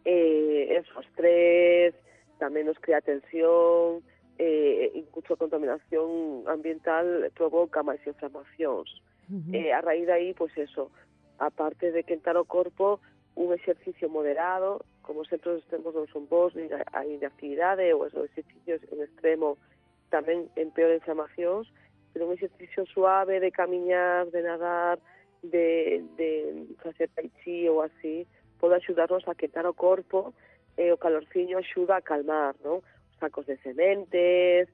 eh, eso, estrés, tamén nos crea tensión, eh, incluso a contaminación ambiental provoca máis inflamacións. Uh-huh. Eh, a raíz de aí, pois eso, aparte de quentar o corpo, un exercicio moderado, como sempre os extremos non son bons, nin a inactividade ou os exercicios en extremo tamén empeora inflamacións, pero un exercicio suave de camiñar, de nadar, de, de facer tai chi ou así, pode axudarnos a quentar o corpo e o calorciño axuda a calmar, non? Os sacos de sementes,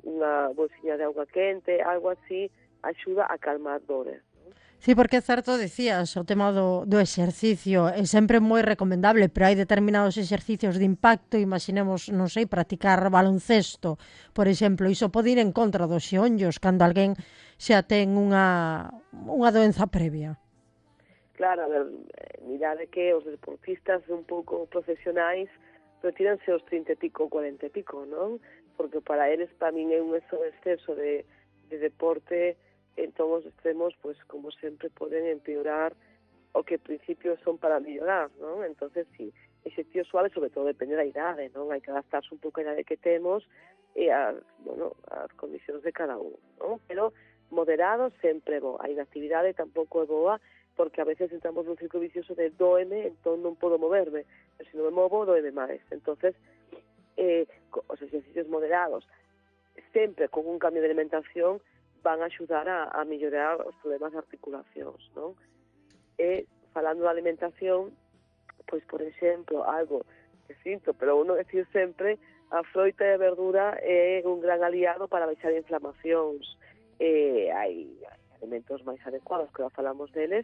unha bolsiña de auga quente, algo así, axuda a calmar dores. Sí, porque é certo, decías, o tema do, do exercicio é sempre moi recomendable, pero hai determinados exercicios de impacto, imaginemos, non sei, practicar baloncesto, por exemplo, iso pode ir en contra dos xeonllos cando alguén xa ten unha, unha doenza previa. Claro, a ver, mirade que os deportistas un pouco profesionais retiranse os trinta e pico, cuarenta e pico, non? Porque para eles, para min, é un exceso de, de deporte en todos os extremos, pues como sempre poden empeorar o que en principio son para mellorar, non? Entonces, sí, exercicio suave, sobre todo depende da idade, non? Hai que adaptarse un pouco a idade que temos e as, bueno, as condicións de cada un, non? Pero moderado sempre é bo. A inactividade tampouco é boa, porque a veces entramos nun ciclo vicioso de doeme, entón non podo moverme, pero se non me movo, doeme máis. Entonces, eh, os exercicios moderados, sempre con un cambio de alimentación, van a axudar a, a mellorar os problemas de articulacións, non? E, falando da alimentación, pois, por exemplo, algo que sinto, pero uno decir sempre, a froita e a verdura é un gran aliado para baixar inflamacións. Eh, hai, hai alimentos máis adecuados, que já falamos deles,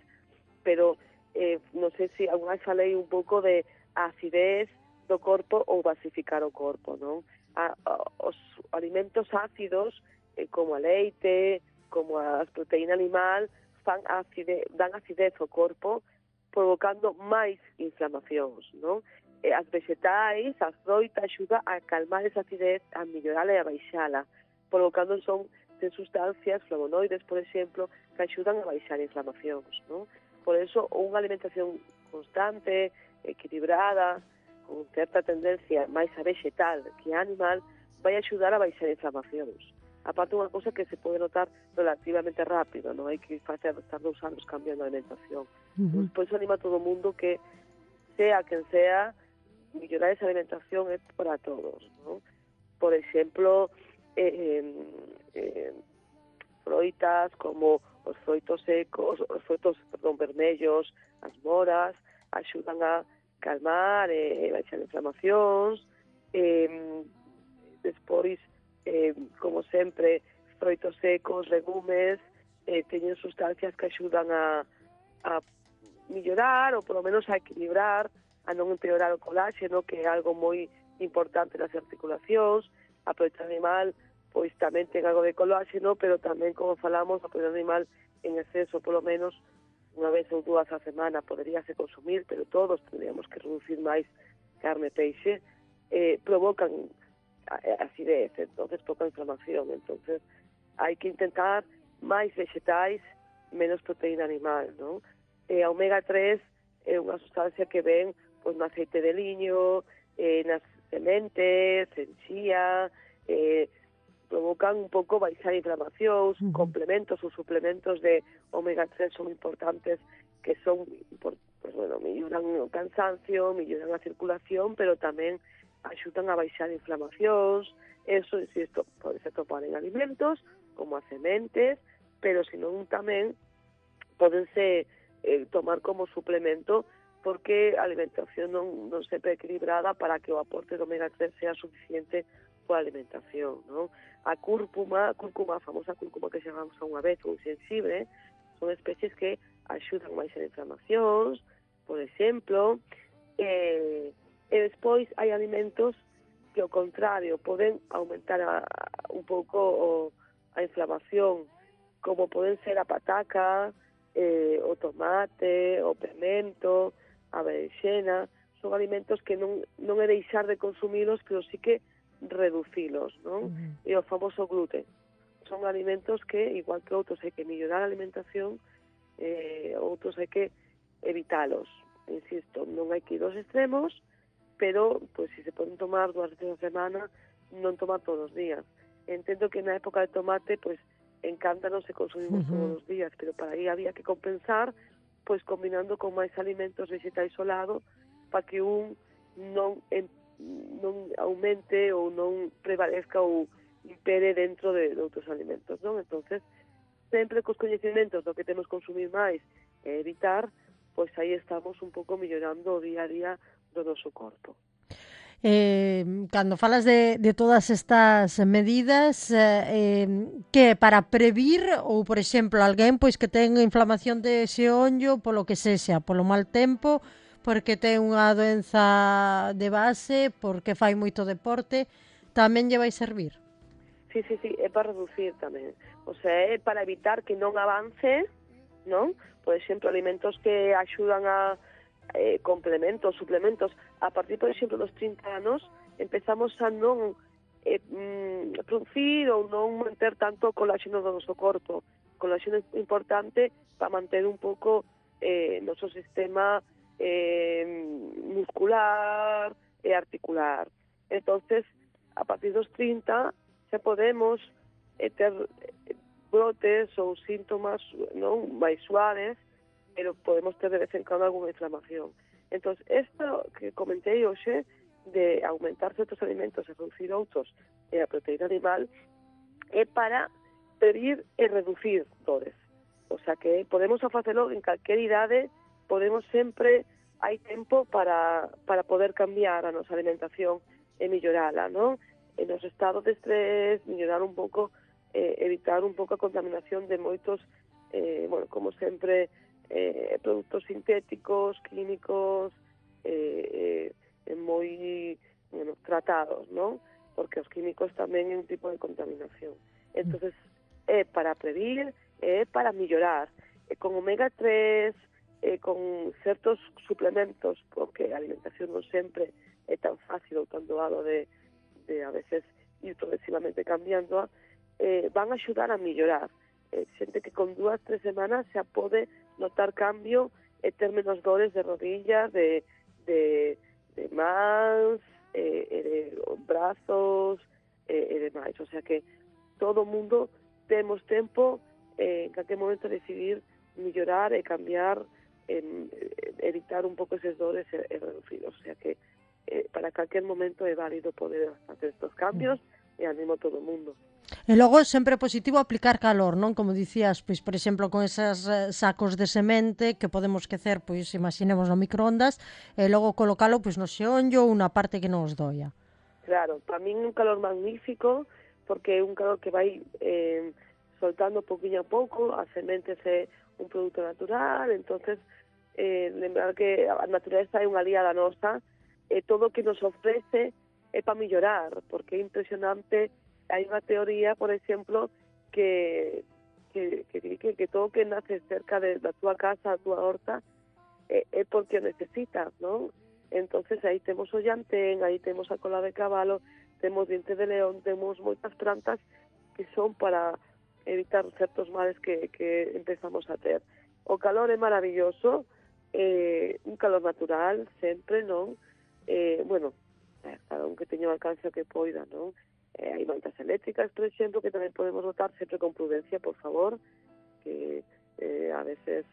pero eh, non sei se alguna vez falei un pouco de acidez do corpo ou basificar o corpo, non? A, a, os alimentos ácidos, eh, como a leite, como as proteínas animal, fan acidez, dan acidez ao corpo, provocando máis inflamacións, non? E as vegetais, a froita, axuda a calmar esa acidez, a mellorala e a baixala, provocando son de sustancias, flavonoides, por exemplo, que axudan a baixar inflamacións, non? Por eso, unha alimentación constante, equilibrada, con certa tendencia máis a vegetal que a animal, vai axudar a baixar inflamacións. Aparte, unha cousa que se pode notar relativamente rápido, non hai que facer estar dous anos cambiando a alimentación. Uh-huh. Por eso anima a todo o mundo que, sea quen sea, mellorar esa alimentación é para todos, non? Por exemplo, eh, eh, froitas como os froitos secos, os froitos, perdón, vermellos, as moras, axudan a calmar e eh, baixar inflamacións. Eh, despois, eh, como sempre, froitos secos, legumes, eh, teñen sustancias que axudan a, a mellorar ou polo menos a equilibrar, a non empeorar o coláxeno, que é algo moi importante nas articulacións. A proteína animal, pois tamén ten algo de coláxeno, pero tamén, como falamos, a proteína animal en exceso, polo menos unha vez ou dúas a semana, poderíase consumir, pero todos tendríamos que reducir máis carne e peixe, eh, provocan acidez, entonces poca inflamación. Entonces hai que intentar máis vegetais, menos proteína animal, non? E a omega tres é unha sustancia que ven pois no aceite de liño, eh, nas sementes, en chía, eh, provocan un pouco baixar inflamacións, uh-huh. complementos ou suplementos de omega tres son importantes, que son, pues, bueno, melloran o cansancio, melloran a circulación, pero tamén axudan a baixar inflamacións. Eso, insisto, pode ser topar en alimentos, como as sementes, pero senón tamén podense eh, tomar como suplemento, porque a alimentación non, non sempre é equilibrada para que o aporte de omega tres sea suficiente coa alimentación, non? A cúrcuma, a cúrcuma, a famosa cúrcuma que chamamos a unha vez, ou sensible, son especies que axudan máis en inflamacións, por exemplo, eh, e despois hai alimentos que, ao contrario, poden aumentar a, a, un pouco o, a inflamación, como poden ser a pataca, eh, o tomate, o pimento, a berenxena. Son alimentos que non, non é deixar de consumilos, pero sí que reducilos, non? Uh-huh. E o famoso gluten. Son alimentos que, igual que outros, hai que mellorar a alimentación, eh, outros hai que evitalos. Insisto, non hai que ir aos extremos, pero, pois, se se poden tomar dúas veces a semana, non tomar todos os días. Entendo que na época de tomate, pois, encántanos se consumimos uh-huh. todos os días, pero para aí había que compensar, pois, combinando con máis alimentos vegetais ao lado, para que un non, en, non aumente ou non prevalezca ou impere dentro de, de outros alimentos, non? Entonces, sempre cos coñecementos do que temos que consumir máis e evitar, pois aí estamos un pouco mellorando o día a día do noso corpo. Eh, cando falas de, de todas estas medidas, eh, que para previr ou, por exemplo, alguén pois que ten inflamación de xeonllo polo que sexa, polo mal tempo, porque ten unha doenza de base, porque fai moito deporte, tamén lle vai servir? Sí, sí, sí, é para reducir tamén. O sea, é para evitar que non avance, non? Por exemplo, alimentos que axudan a eh, complementos, suplementos. A partir, por exemplo, dos trinta anos, empezamos a non eh, mm, producir ou non manter tanto coláxeno do noso corpo. Coláxeno é importante para manter un pouco eh, noso sistema eh, muscular e articular. Entonces, a partir dos trinta, xa podemos eh, ter brotes ou síntomas non máis suaves, pero podemos ter de vez en cando alguna inflamación. Entón, isto que comentei hoxe, de aumentar certos alimentos e reducir outros e a proteína animal, é para prevenir e reducir dores. O sea que podemos facelo en calquer idade, podemos sempre, hai tempo para, para poder cambiar a nosa alimentación e mellorala, non? En os estados de estrés, mellorar un pouco, eh, evitar un pouco a contaminación de moitos, eh, bueno, como sempre, eh, produtos sintéticos, químicos, eh, eh, moi, bueno, tratados, non? Porque os químicos tamén é un tipo de contaminación. Entonces, é para prevenir, é para mellorar. E con omega tres, e con certos suplementos, porque a alimentación non sempre é tan fácil ou tan doado de, de a veces ir progresivamente cambiando, eh, van a axudar a mellorar. Eh, xente que con dúas, tres semanas xa pode notar cambio e ter menos dores de rodillas, de, de, de mans, eh, e de brazos, eh, e demais. O sea que todo o mundo temos tempo eh, en calquer momento decidir mellorar e cambiar, en, evitar un pouco eses dores e, e reducir. O sea que eh, para calquer momento é válido poder hacer estos cambios e animo a todo o mundo. E logo é sempre positivo aplicar calor, non? Como dicías, pois, por exemplo, con esas eh, sacos de semente que podemos quecer, pois, imaginemos no microondas, e logo colocalo, pois, no xeonllo ou na parte que non os doia. Claro, para min un calor magnífico, porque é un calor que vai eh, soltando pouquinho a pouco, as sementes é un produto natural, entonces eh, lembrar que a natureza é unha aliada nosa, e todo o que nos ofrece é para mellorar, porque é impresionante. Hai unha teoría, por exemplo, que que, que, que, que todo o que nace cerca de, da túa casa, da túa horta, é, é porque o necesitas, non? Entonces aí temos o llantén, aí temos a cola de cabalo, temos diente de león, temos moitas plantas que son para evitar certos males que, que empezamos a ter. O calor é maravilloso, eh, un calor natural, sempre, non? Eh, bueno, cada un que teña o alcance que poida, non? Eh, hai mantas eléctricas, por exemplo, que tamén podemos botar sempre con prudencia, por favor, que eh, a veces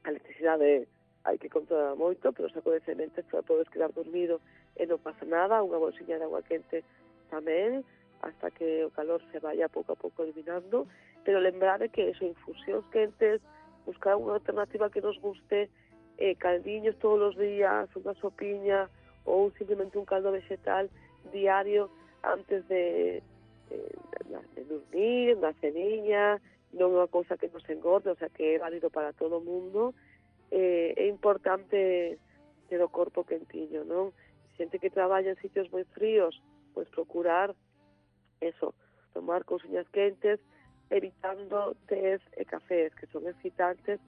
a electricidade hai que controlar moito, pero o saco de sementes podes quedar dormido e non pasa nada, unha bolsiña de agua quente tamén, hasta que o calor se vaya pouco a pouco eliminando, pero lembrade que eso, infusións quentes, buscar unha alternativa que nos guste, eh, caldiños todos os días, unha sopiña ou simplemente un caldo vegetal diario antes de, de, de dormir, na ceniña, non é unha cousa que nos engorde, o sea que é válido para todo o mundo. Eh, é importante ter o corpo quentiño, non? Xente que traballa en sitios moi fríos, pois procurar eso, tomar cousiñas quentes, evitando tés e cafés, que son excitantes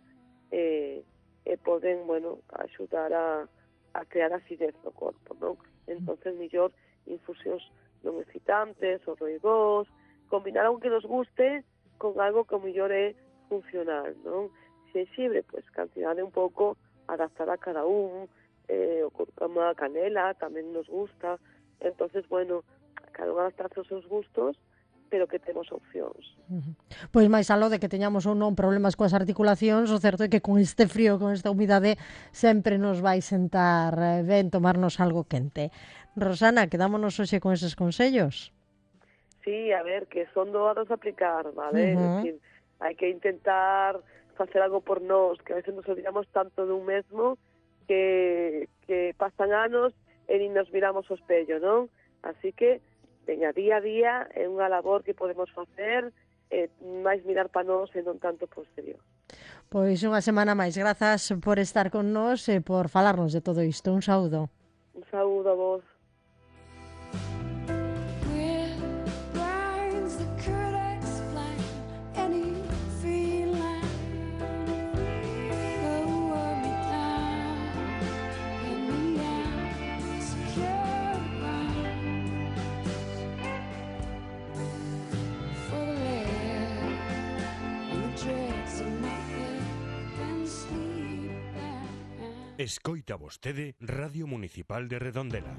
e, e poden, bueno, axudar a, a crear acidez no corpo, non? Entonces, mellor infusións non excitantes, ou roigós, combinar algo que nos guste con algo que mellor é funcional, non? Xenxibre, pois, cantidade un pouco adaptada a cada un, eh, o cúrcuma, canela, tamén nos gusta, entonces, bueno, cada unha adaptarse aos seus gustos, pero que temos opcións. Uh-huh. Pois máis aló de que teñamos ou non problemas coas articulacións, o certo é que con este frío, con esta humidade, sempre nos vai sentar ben tomarnos algo quente. Rosana, quedámonos hoxe con eses consellos? Sí, a ver, que son doados a aplicar, vale? Uh-huh. Es decir, hai que intentar facer algo por nós, que a veces nos olvidamos tanto dun mesmo que, que pasan anos e nin nos miramos o espello, non? Así que, veña, día a día é unha labor que podemos facer, eh, máis mirar para nós e non tanto por exterior. Pois unha semana máis. Grazas por estar con nós e por falarnos de todo isto. Un saúdo. Un saúdo a vos. Escoita vostede Radio Municipal de Redondela.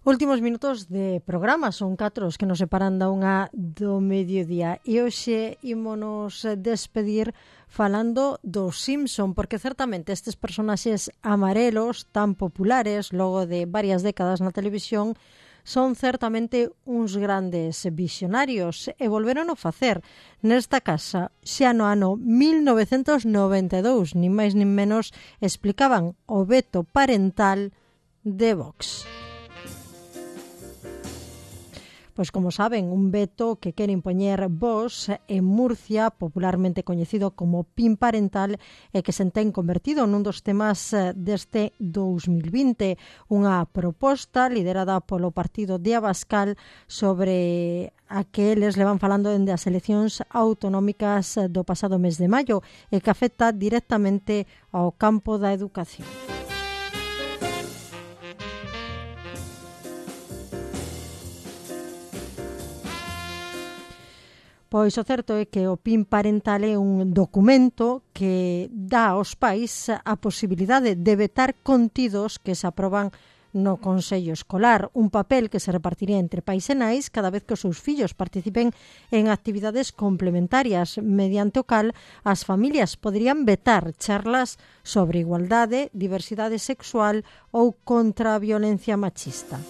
Últimos minutos de programa, son catro os que nos separan da unha do mediodía. E hoxe ímonos despedir falando dos Simpson, porque certamente estes personaxes amarelos tan populares logo de varias décadas na televisión son certamente uns grandes visionarios e volveron a facer nesta casa xa no ano mil novecentos noventa e dous, nin máis nin menos, explicaban o veto parental de Vox. Pois como saben, un veto que quere impoñer Vox en Murcia, popularmente coñecido como PIN parental, e que se ten convertido nun dos temas deste dous mil vinte. Unha proposta liderada polo partido de Abascal sobre a que eles levan falando dende as eleccións autonómicas do pasado mes de maio e que afecta directamente ao campo da educación. Pois o certo é que o PIN parental é un documento que dá aos pais a posibilidade de vetar contidos que se aproban no Consello Escolar, un papel que se repartiría entre pais e nais cada vez que os seus fillos participen en actividades complementarias, mediante o cal as familias poderían vetar charlas sobre igualdade, diversidade sexual ou contra a violencia machista.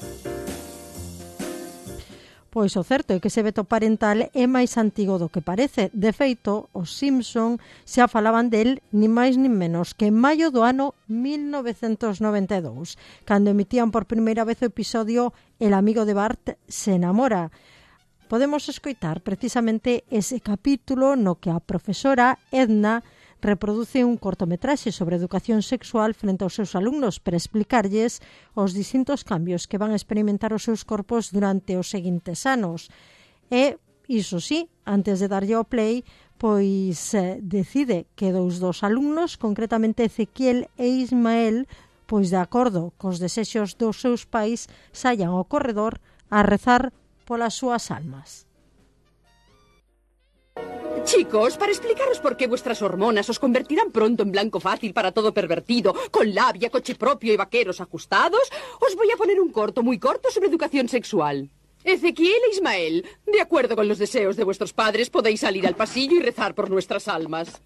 Pois o certo é que ese veto parental é máis antigo do que parece. De feito, os Simpson xa falaban del ni máis nin menos que en maio do ano mil novecentos noventa e dous, cando emitían por primeira vez o episodio El amigo de Bart se enamora. Podemos escoitar precisamente ese capítulo no que a profesora Edna reproduce un cortometraxe sobre educación sexual frente aos seus alumnos para explicarlles os distintos cambios que van a experimentar os seus corpos durante os seguintes anos. E, iso sí, antes de darlle ao play, pois eh, decide que dous dos alumnos, concretamente Ezequiel e Ismael, pois de acordo cos desexos dos seus pais, saian ao corredor a rezar polas súas almas. Chicos, para explicaros por qué vuestras hormonas os convertirán pronto en blanco fácil para todo pervertido, con labia, coche propio y vaqueros ajustados, os voy a poner un corto muy corto sobre educación sexual. Ezequiel e Ismael, de acuerdo con los deseos de vuestros padres, podéis salir al pasillo y rezar por nuestras almas.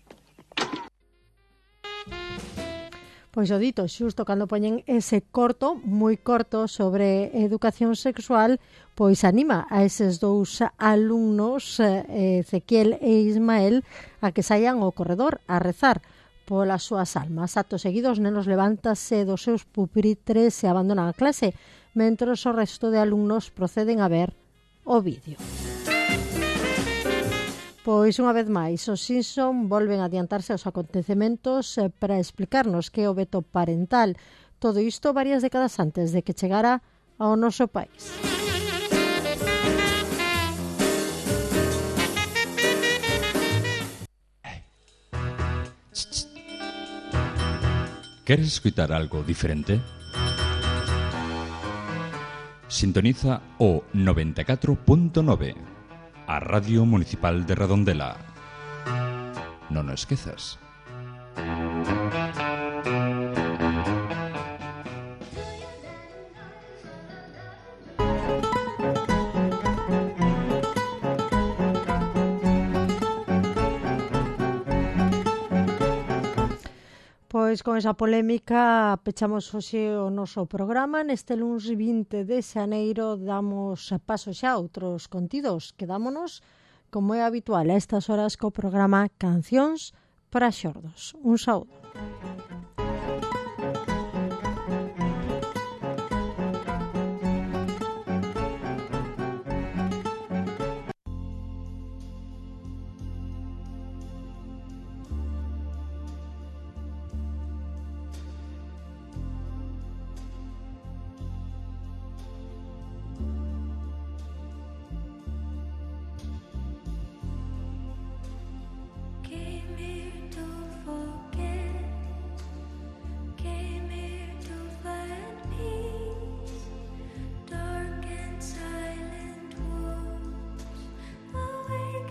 Pois o dito, xusto cando poñen ese corto, moi corto, sobre educación sexual, pois anima a eses dous alumnos, Ezequiel e Ismael, a que saian ao corredor a rezar polas súas almas. Acto seguidos, nenos levántase dos seus pupitres e abandonan a clase, mentres o resto de alumnos proceden a ver o vídeo. Pois unha vez máis, os Simpson volven a adiantarse aos acontecementos para explicarnos que é o veto parental. Todo isto varias décadas antes de que chegara ao noso país. ¿Queres escutar algo diferente? Sintoniza o noventa e catro punto nove. A Radio Municipal de Redondela. Non o esquezas. Pois con esa polémica pechamos hoxe o noso programa. Neste luns vinte de xaneiro damos paso xa a outros contidos. Quedámonos, como é habitual, a estas horas co programa Cancións para xordos. Un saúdo.